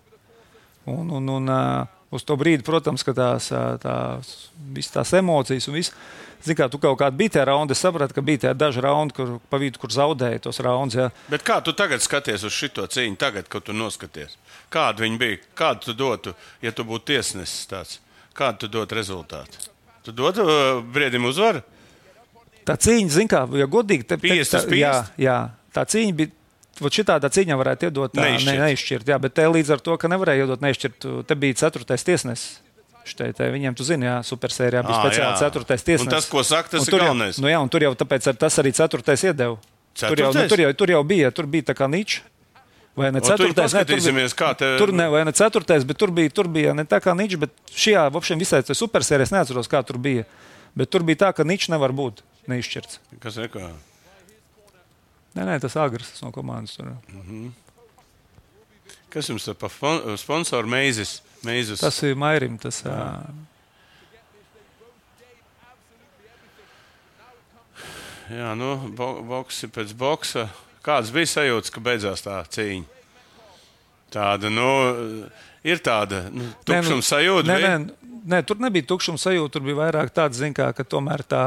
S3: Un, un, un uh, uz to brīdi, protams, ka tās, ā, tās, visas tās emocijas un viss. Zin kā, tu kaut kādā bija tajā raundā, es sapratu, ka bija tajā daži raundi, kur pa vidu, kur zaudēja tos raundus. Ja.
S2: Bet kā tu tagad skaties uz šito cīņu, tagad, kad tu noskaties? Kāda viņa bija? Kādu tu dotu, ja tu būtu tiesnesis tāds? Kādu tu dotu rezultātu? Tu dotu uh, Briedim uzvaru?
S3: Tā cīņa, zin kā, ja godīgi, te, te,
S2: Piest uz
S3: tā,
S2: piest?
S3: jā, jā, tā cīņa bija. Vot šitādā cīņā varētu iedot tā,
S2: Neizšķirt.
S3: ne, neizšķirt. Jā, bet te līdz ar to, ka nevarēja iedot neizšķirt, te bija ceturtais tiesnesis. Štai, te, viņiem, tu zini, jā, supersērijā bija
S2: Ā,
S3: speciāli
S2: jā.
S3: ceturtais tiesnesis.
S2: Un tas, ko saka, tas
S3: Un
S2: ir
S3: tur jau-
S2: galvenais.
S3: Nu jā, un tur jau tāpēc ar tas arī ceturtais iedeva. Tur jau, nu,
S2: Ceturtais?
S3: tur, jau, tur jau bija, tur bija tā kā ničs. Vai ne
S2: O, tu
S3: ceturtais? Ne, tur,
S2: paskatīsimies, kā te...
S3: bija, tur ne, vai ne ceturtais, bet tur bija, tur bija ne tā kā ničs, bet šajā, vopšiem visai tai supersērijā, es neatceros, kā tur bija. Bet tur bija tā, ka ničs nevar būt neizšķirts.
S2: Kas ir kā?
S3: Nē, nē, tas Agrs tas no komandas tur.
S2: Kas jums ir pa fon- sponsoru meizes? Meizes?
S3: Tas ir Mairim, tas... ā,
S2: Jā, nu, bo boksi pēc boksa. Kāds bija sajūta, ka beidzās tā cīņa? Tāda, nu, ir tāda nu, tukšuma sajūta.
S3: Nē,
S2: bija?
S3: nē, nē, tur nebija tukšuma sajūta. Tur bija vairāk tāds, zin kā, ka tomēr tā,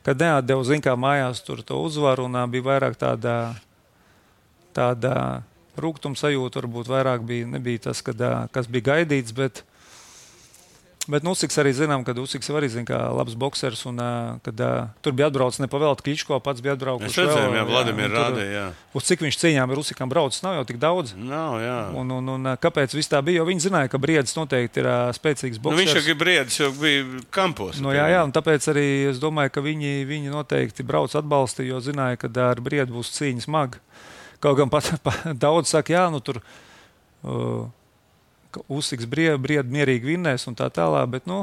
S3: kad neatdeva, zin kā, mājās tur to uzvaru, un ā, bija vairāk tāda, tāda rūgtuma sajūta. Varbūt vairāk bija, nebija tas, kad, ā, kas bija gaidīts, bet, bet nu, Usiks arī zinām, kad Usiks arī, zin kā, labs boksers, un ā, kad ā, tur bija atbraucis nepavēlt Kličko, pats bija atbraucis.
S2: Mēs redzējām, jā, Vladimir rādīja, jā.
S3: Uz cik viņš cīņām ir Usikam braucis, nav jau tik daudz.
S2: Nav, jā.
S3: Un, un, un kāpēc viss tā bija? Jo viņi zināja, ka Briedis noteikti ir ā, spēcīgs
S2: Nu,
S3: boksers.
S2: viņš jau bija briedis, jau bija kampos.
S3: Nu, jā, jā, un tāpēc arī es domāju, ka viņi, viņi noteikti brauc atbalstīja, jo zināja, ka ar Briedu būs cīņa smaga. Kaut gan pat, pat daudz saka, jā, nu tur uh, Usiks Briedu, Briedu mierīgi vinnēs un tā tālāk, bet, nu,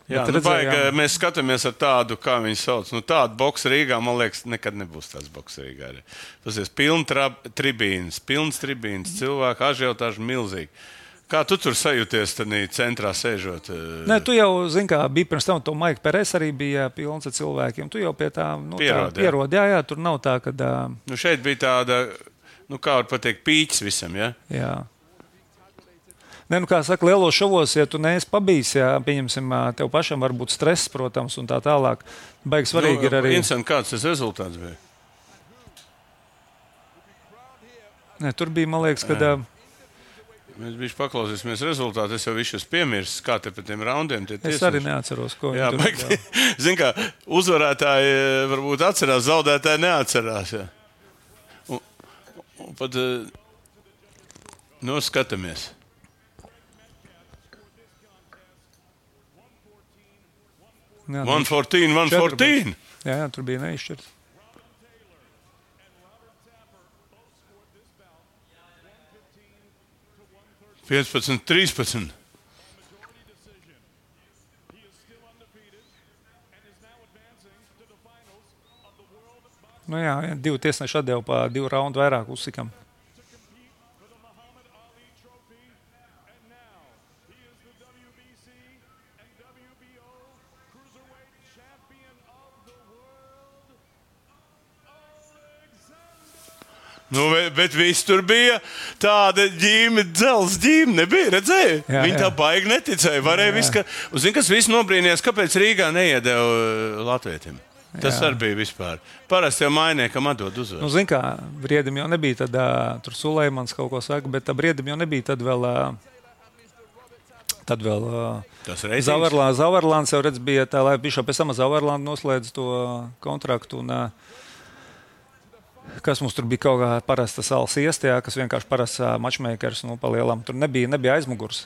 S2: Jā,
S3: bet
S2: nu,
S3: redzējām-
S2: baigi, mēs skatāmies ar tādu, kā viņi sauc. Nu, tādu boksu Rīgā, man liekas, nekad nebūs tāds boksu Rīgā. Arī. Tas ir pilns tribīns, pilns tribīns, cilvēku ažiotāžu milzīgi. Kā tu tur sajūties tādā centrā sēžot?
S3: Nē, tu jau, zini, kā bija pirms tam, to Maika Peres arī bija pilns ar cilvēkiem. Tu jau pie tā, nu,
S2: Pierod,
S3: tā
S2: jā.
S3: pierod. Jā, jā, tur nav tā, ka, ā,
S2: Nu, šeit bija tāda, nu, kā var pateikt, pīķis visam, ja?
S3: jā. Nē, nu, kā saka, lielos šovos, ja tu neesi pabijis, jā, pieņemsim, ā, tev pašam var būt stress, protams, un tā tālāk. Baigi svarīgi
S2: nu,
S3: ir arī.
S2: Interesanti, kāds tas rezultāts bija?
S3: Nē, tur bija, man liekas, kad... ā,
S2: Mēs bijām paklausīsimies rezultātu. Es jau visu esmu piemirsis, kā te pēc tiem raundiem tie
S3: Es
S2: tiesneši.
S3: arī neatceros, ko
S2: Jā,
S3: viņi
S2: baigi. Zini, kā uzvarētāji varbūt atcerās, zaudētāji neatcerās. Jā. Un, un pat nu, skatāmies.
S3: Jā,
S2: one fourteen, one fourteen.
S3: Jā, jā, tur bija neizšķirts.
S2: piecpadsmit, trīspadsmit.
S3: Nu jā, divi tiesneši atdeva pa divu raundu vairāk Usikam.
S2: Nu, bet viss tur bija tāda ģīme, dzels ģīme, nebija, redzēja? Jā, Viņi jā. tā baigi neticēja. Varēja viss, ka... Un zin, kas viss nobrīnījās, kāpēc Rīgā neiedeva latvietim? Tas jā. arī bija vispār. Parasti jau mainniekam atdod uzvaru.
S3: Nu, zin kā, Briedim jau nebija tad, uh, tur Sulejmans kaut ko saka, bet Briedim jau nebija tad vēl... Uh, tad vēl... Uh, Zavarlāns, Zavarlāns jau redz bija tā, lai bišā pēc tam Zavarlāns noslēdz to kontraktu un... Uh, kas mums tur bija kaut kā parasta salas iestājā, kas vienkārši parasts matchmakers, nu, pa lielam. Tur nebija, nebija aizmugurs.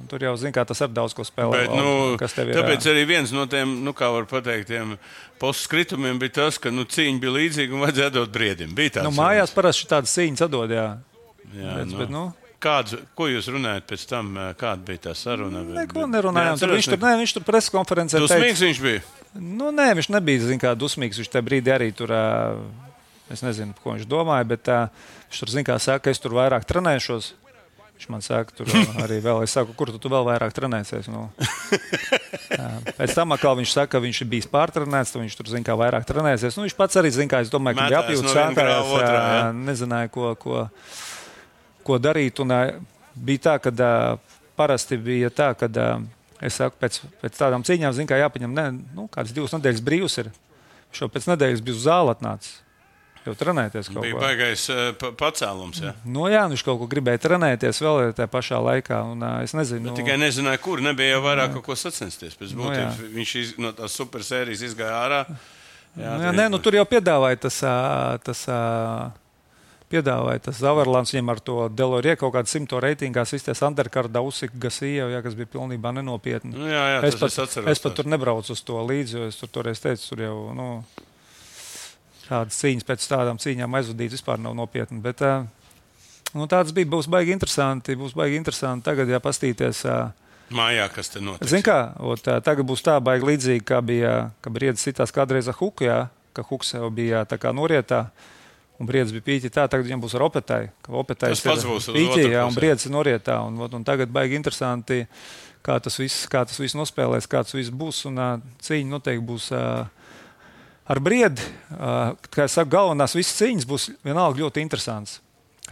S3: Tur jau, zin kā, tas ar daudz ko spēlē.
S2: Bet, nu, kas tev ir. Tāpēc arī viens no tiem, nu, kā var pateikt, tiem postskritumiem bija tas, ka, nu, cīņa bija līdzīga un vajadzēja dot Briedim. Bija tāds.
S3: Nu, mājās parasti tādas cīņas atdod, jā.
S2: Jā,
S3: bet,
S2: nu.
S3: bet, nu.
S2: Kāds, ko jūs runājat pēc tam, kāda bija tā saruna?
S3: Neko nerunājām. Tur viņš tur, ne, viņš tur preskonferencē teica.
S2: Dusmīgs viņš bija?
S3: Nu, nē, viņš nebija, zin kā, dusmīgs. Viņš tajā brīdī arī tur... Es nezinu, ko viņš domāja, bet uh, viņš tur, zin kā, saka, ka es tur vairāk trenēšos. Viņš man saka, tur arī vēl, es saku, kur tu, tu vēl vairāk trenēsies? Nu. Pēc tam atkal viņš saka, ka viņš ir bijis pārtrenēts, tad viņš tur, zin kā, vairāk trenēsies. Nu, viņš pats arī, zin kā, es domāju, ka bija apjūts sākājās, no nezināja, ko, ko, ko darīt. Un uh, bija tā, ka uh, parasti bija tā, ka, uh, es saku, pēc, pēc tādām cīņām, zin kā, jāpaņem, ne, nu, kādas divas nedēļas brīvs ir. Viņš jau pēc nedēļas bija uz zāli atnācis. Jau trenēties kaut ko.
S2: Bija baigais uh, pacēlums, jā?
S3: Nu jā, viņš kaut ko gribēja trenēties vēl tajā pašā laikā, un uh, es nezinu.
S2: Bet tikai nezināju, kur, nebija jau vairāk kaut ko sacensties. Pēc būtības nu, viņš iz, no tās supersērijas izgāja ārā. Jā,
S3: nu, jā, nē, nu tur jau piedāvāja tas, tas, piedāvāja tas Zavarlāns, viņam ar to Delorie kaut kādu simto reitingās izties underkardā Usika Gasija, jā, kas bija pilnībā nenopietni.
S2: Nu, jā, jā,
S3: es, pat,
S2: es, atceros,
S3: es pat tur nebraucu uz to līdzi, jo es tur toreiz teicu, tur jau, nu... Tādas cīņas pēc tādām cīņām aizvadīt vispār nav nopietni. Bet nu, tāds bija, būs baigi interesanti. Būs baigi interesanti tagad, ja pastīties.
S2: Mājā, kas te notiks?
S3: Zin kā, ot, tagad būs tā baigi līdzīgi, kā bija, ka Briedis citās kādreiz ar Huku, jā, ka Huks jau bija tā kā norietā, un Briedis bija pīķi tā, tagad viņam būs ar Opetai. Tas
S2: pats būs uz
S3: pīķi, jā, un Briedis ir norietā. Un, un tagad baigi interesanti, kā tas viss, kā tas viss nospēlēs, kā tas viss būs, un cīņa noteikti būs... Ar Briedi, kā es saku, galvenās visas cīņas būs vienalga ļoti interesants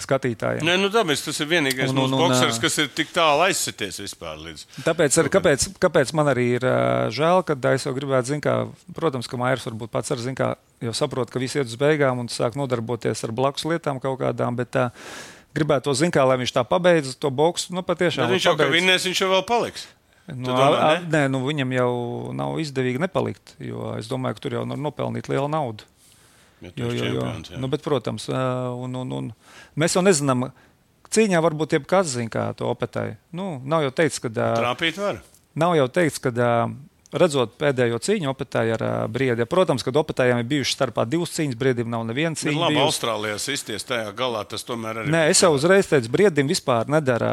S3: skatītājiem.
S2: Nē, nu tāpēc tas ir vienīgais un, mūsu un, boksers, kas ir tik tālu aizsities vispār līdz.
S3: Tāpēc, ar, kāpēc, kāpēc man arī ir žēl, kad es jau gribētu, zin kā, protams, ka Mairs varbūt pats ar, zin kā, jau saprot, ka visi iet uz beigām un sāk nodarboties ar blakus lietām kaut kādām, bet tā, gribētu to, zin kā, lai viņš tā pabeidz to boksu, nu patiešām.
S2: Bet viņš jau, ka vinnēs, viņš jau vēl paliks.
S3: Nu, domā, a, ne? Nē, nu, viņam jau nav izdevīgi nepalikt, jo es domāju, ka tur jau var nopelnīt lielu naudu.
S2: Ja jo, jo, jo.
S3: Nu, bet, protams, un, un, un mēs jau nezinām, cīņā varbūt jebkas zina, kā to Opetai. Nu, nav jau teikts, ka...
S2: Trāpīt var.
S3: Nav jau teikts, ka... Redzot pēdējo cīņu Opetai ar uh, Briedi, protams, kad Opetājiem ir bijušas starpā divas cīņas, Briedim nav neviena cīņa.
S2: Labi, Austrālijā izties tajā galā, tas tomēr arī...
S3: Nē, es jau uzreiz teicu, Briedim vispār nedara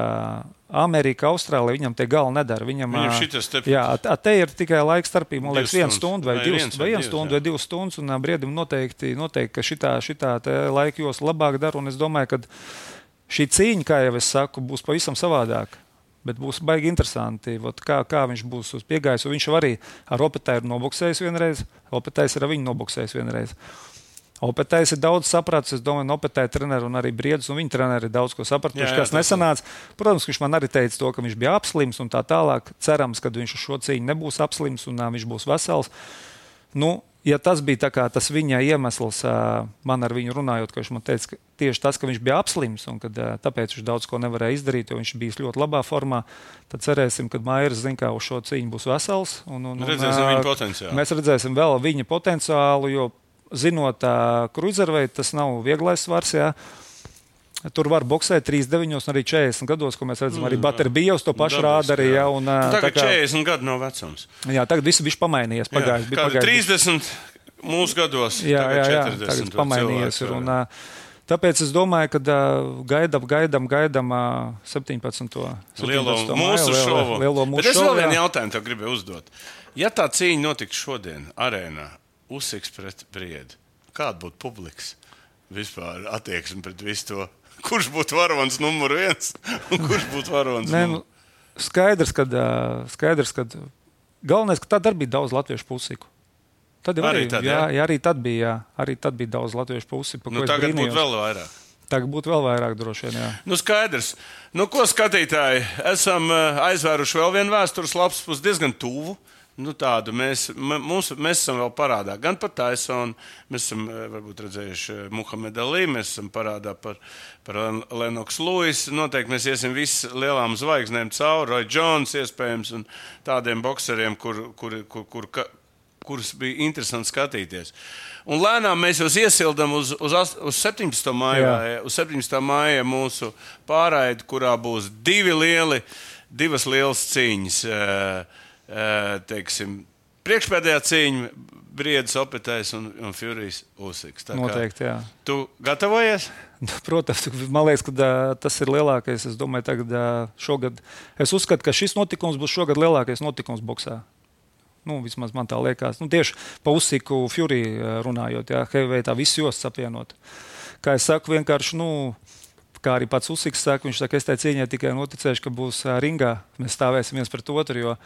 S3: Amerika, Austrālija, viņam tie gala nedara. Viņam,
S2: viņam šitas te...
S3: Jā, te ir tikai laika starpība, man liekas, viena stunda vai, vai divas, vai viena stunda vai divas stundas, un uh, Briedim noteikti, noteikti, ka šitā, šitā laika jos labāk dara, un es domāju, ka šī cīņa, kā jau es saku, būs pavisam savādāk. Bet būs baigi interesanti, vot, kā, kā viņš būs uz piegājis. Viņš arī ar Opetai ir noboksējis vienreiz, Opetais ir ar viņu noboksējis vienreiz. Opetais ir daudz sapratis, es domāju, Opetai treneri un arī Briedis, un viņa treneri ir daudz ko sapratuši, kas nesanāca. Protams, ka viņš man arī teica to, ka viņš bija apslims un tā tālāk. Cerams, ka viņš uz šo cīņu nebūs apslims un uh, viņš būs vesels. Nu, ja tas bija tā kā tas viņa iemesls, uh, man ar viņu runājot, ka viņš man teica, ka tieši tas, ka viņš bija apslims un kad, uh, tāpēc viņš daudz ko nevarēja izdarīt, jo viņš bija ļoti labā formā, tad cerēsim, ka Mairis zin, kā uz šo cīņu būs vesels. Un, un,
S2: redzēsim
S3: un,
S2: viņa potenciālu.
S3: Mēs redzēsim vēl viņa potenciālu, jo zinot uh, cruiserveight, tas nav vieglais svars, jā. Tur var boksēt trīsdesmit deviņos un arī četrdesmit gados, ko mēs redzam. Arī Baterbijos to pašu rāda arī. Jā, un,
S2: nu, tagad
S3: kā,
S2: četrdesmit gadu nav vecums.
S3: Jā, tagad viss bija pamainījies. Pagājis, bija pagājis,
S2: trīsdesmit mūsu gados,
S3: jā,
S2: tagad
S3: jā, jā,
S2: četrdesmit.
S3: Tagad pamainījies ir. Un, tāpēc es domāju, ka gaidam, gaidam, gaidam septiņpadsmito
S2: Lielo mūsu šovu.
S3: Lielo mūsu
S2: Bet es
S3: šovu,
S2: vēl vienu
S3: jā.
S2: jautājumu tev gribēju uzdot. Ja tā cīņa notiks šodien arēnā, Usiks pret Briedi, kāda būtu publikas vispār attieksme pret visu to? Kurš būtu varonis numur viens un kurš būtu varonis
S3: Nē,
S2: numur?
S3: nu, skaidrs, kad, skaidrs, kad galvenais, ka tad arī bija daudz latviešu pusiku. Tad jau
S2: Arī
S3: arī,
S2: tad,
S3: jā,
S2: jā?
S3: jā, arī tad bija, jā, arī tad bija daudz latviešu pusiku.
S2: Nu, tagad būtu vēl vairāk.
S3: Tagad būtu vēl vairāk droši vien, jā.
S2: Nu, skaidrs. Nu, ko skatītāji? Esam uh, aizvēruši vēl vienu vēstures lapas pusi diezgan tuvu. Nu, tādu mēs, mums, mēs esam vēl parādā gan par Tysonu, mēs esam varbūt redzējuši Muhamedu Ali, mēs esam parādā par, par Lennox Lewis. Noteikti mēs iesim visi lielām zvaigznēm cauri, Roy Jones iespējams un tādiem bokseriem, kur, kur, kur, kur, kur, kurus bija interesanti skatīties. Un lēnām mēs jūs iesildam uz, uz, uz septiņpadsmitā maijā, uz septiņpadsmitā maijā mūsu pārraidi, kurā būs divi lieli, divas lielas cīņas. Teiksim, priekšpēdējā cīņa Briedis Opetais un, un Furijas Usiks.
S3: Noteikti, jā.
S2: Tu gatavojies?
S3: Protams, man liekas, ka uh, tas ir lielākais. Es domāju, tagad uh, šogad. Es uzskatu, ka šis notikums būs šogad lielākais notikums boksā. Nu, vismaz man tā liekas. Nu, tieši pa Usiku Furiju runājot, jā, heavyweight tā visu jostas apvienot. Kā es saku, vienkārši, nu, kā arī pats Usiks saka, viņš saka, es tai cīņai tikai noticēšu, ka būs uh, ringā. Mēs stāvēsim viens pret otru, jo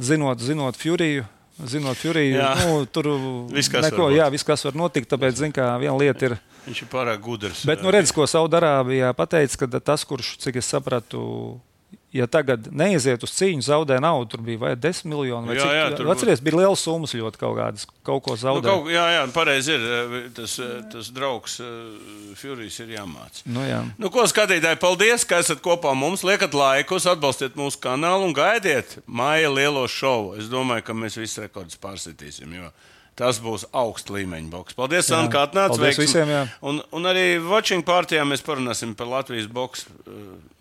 S3: Zinot, zinot Furiju, zinot Furiju, nu, tur
S2: viss, kas
S3: neko,
S2: var
S3: jā, viss, kas var notikt, tāpēc, zin, kā viena lieta ir.
S2: Viņš ir pārāk gudrs.
S3: Bet, nu, redz, ko Saudarābijā pateica, ka tas, kurš, cik es sapratu, ja tagad neiziet uz cīņu, zaudē naudu, tur bija vai desmit miljoni, vai
S2: jā, jā,
S3: cik.
S2: Tur
S3: atceries, bija liels summas ļoti kaut kādas, kaut ko zaudē.
S2: Nu, kaut, jā, jā, pareizi ir, tas, tas draugs Furijs ir jāmāc.
S3: Nu, jā.
S2: Nu, ko skatītāji, paldies, ka esat kopā mums, liekat laikus, atbalstiet mūsu kanālu un gaidiet maija lielo šovu. Es domāju, ka mēs visi rekordus pārsitīsim, jo tas būs augsta līmeņa boks. Paldies, Anna, kā atnāc.
S3: Paldies visiem, jā.
S2: Un, un arī watching partijā mēs parunāsim par Latvijas boksu.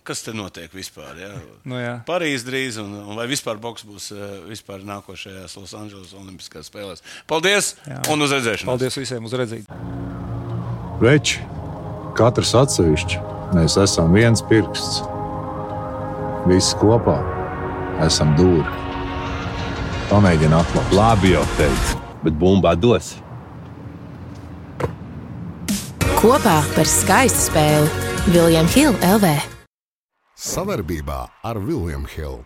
S2: Kas te notiek vispār? Jā?
S3: Nu, jā.
S2: Parīz drīz, un, un vai vispār boks būs vispār nākošajās Los Angeles Olimpiskās spēlēs. Paldies, jā. Un uz redzēšanos.
S3: Paldies visiem, uz redzību.
S4: Veči, katrs atsevišķi, mēs esam viens pirksts. Visi kopā esam dūri. Pamēģini atklāt.
S5: Labi jau teicu, bet bumbā dos.
S6: Kopā par skaistu spēli William Hill L V.
S1: Savarbībā ar William Hill.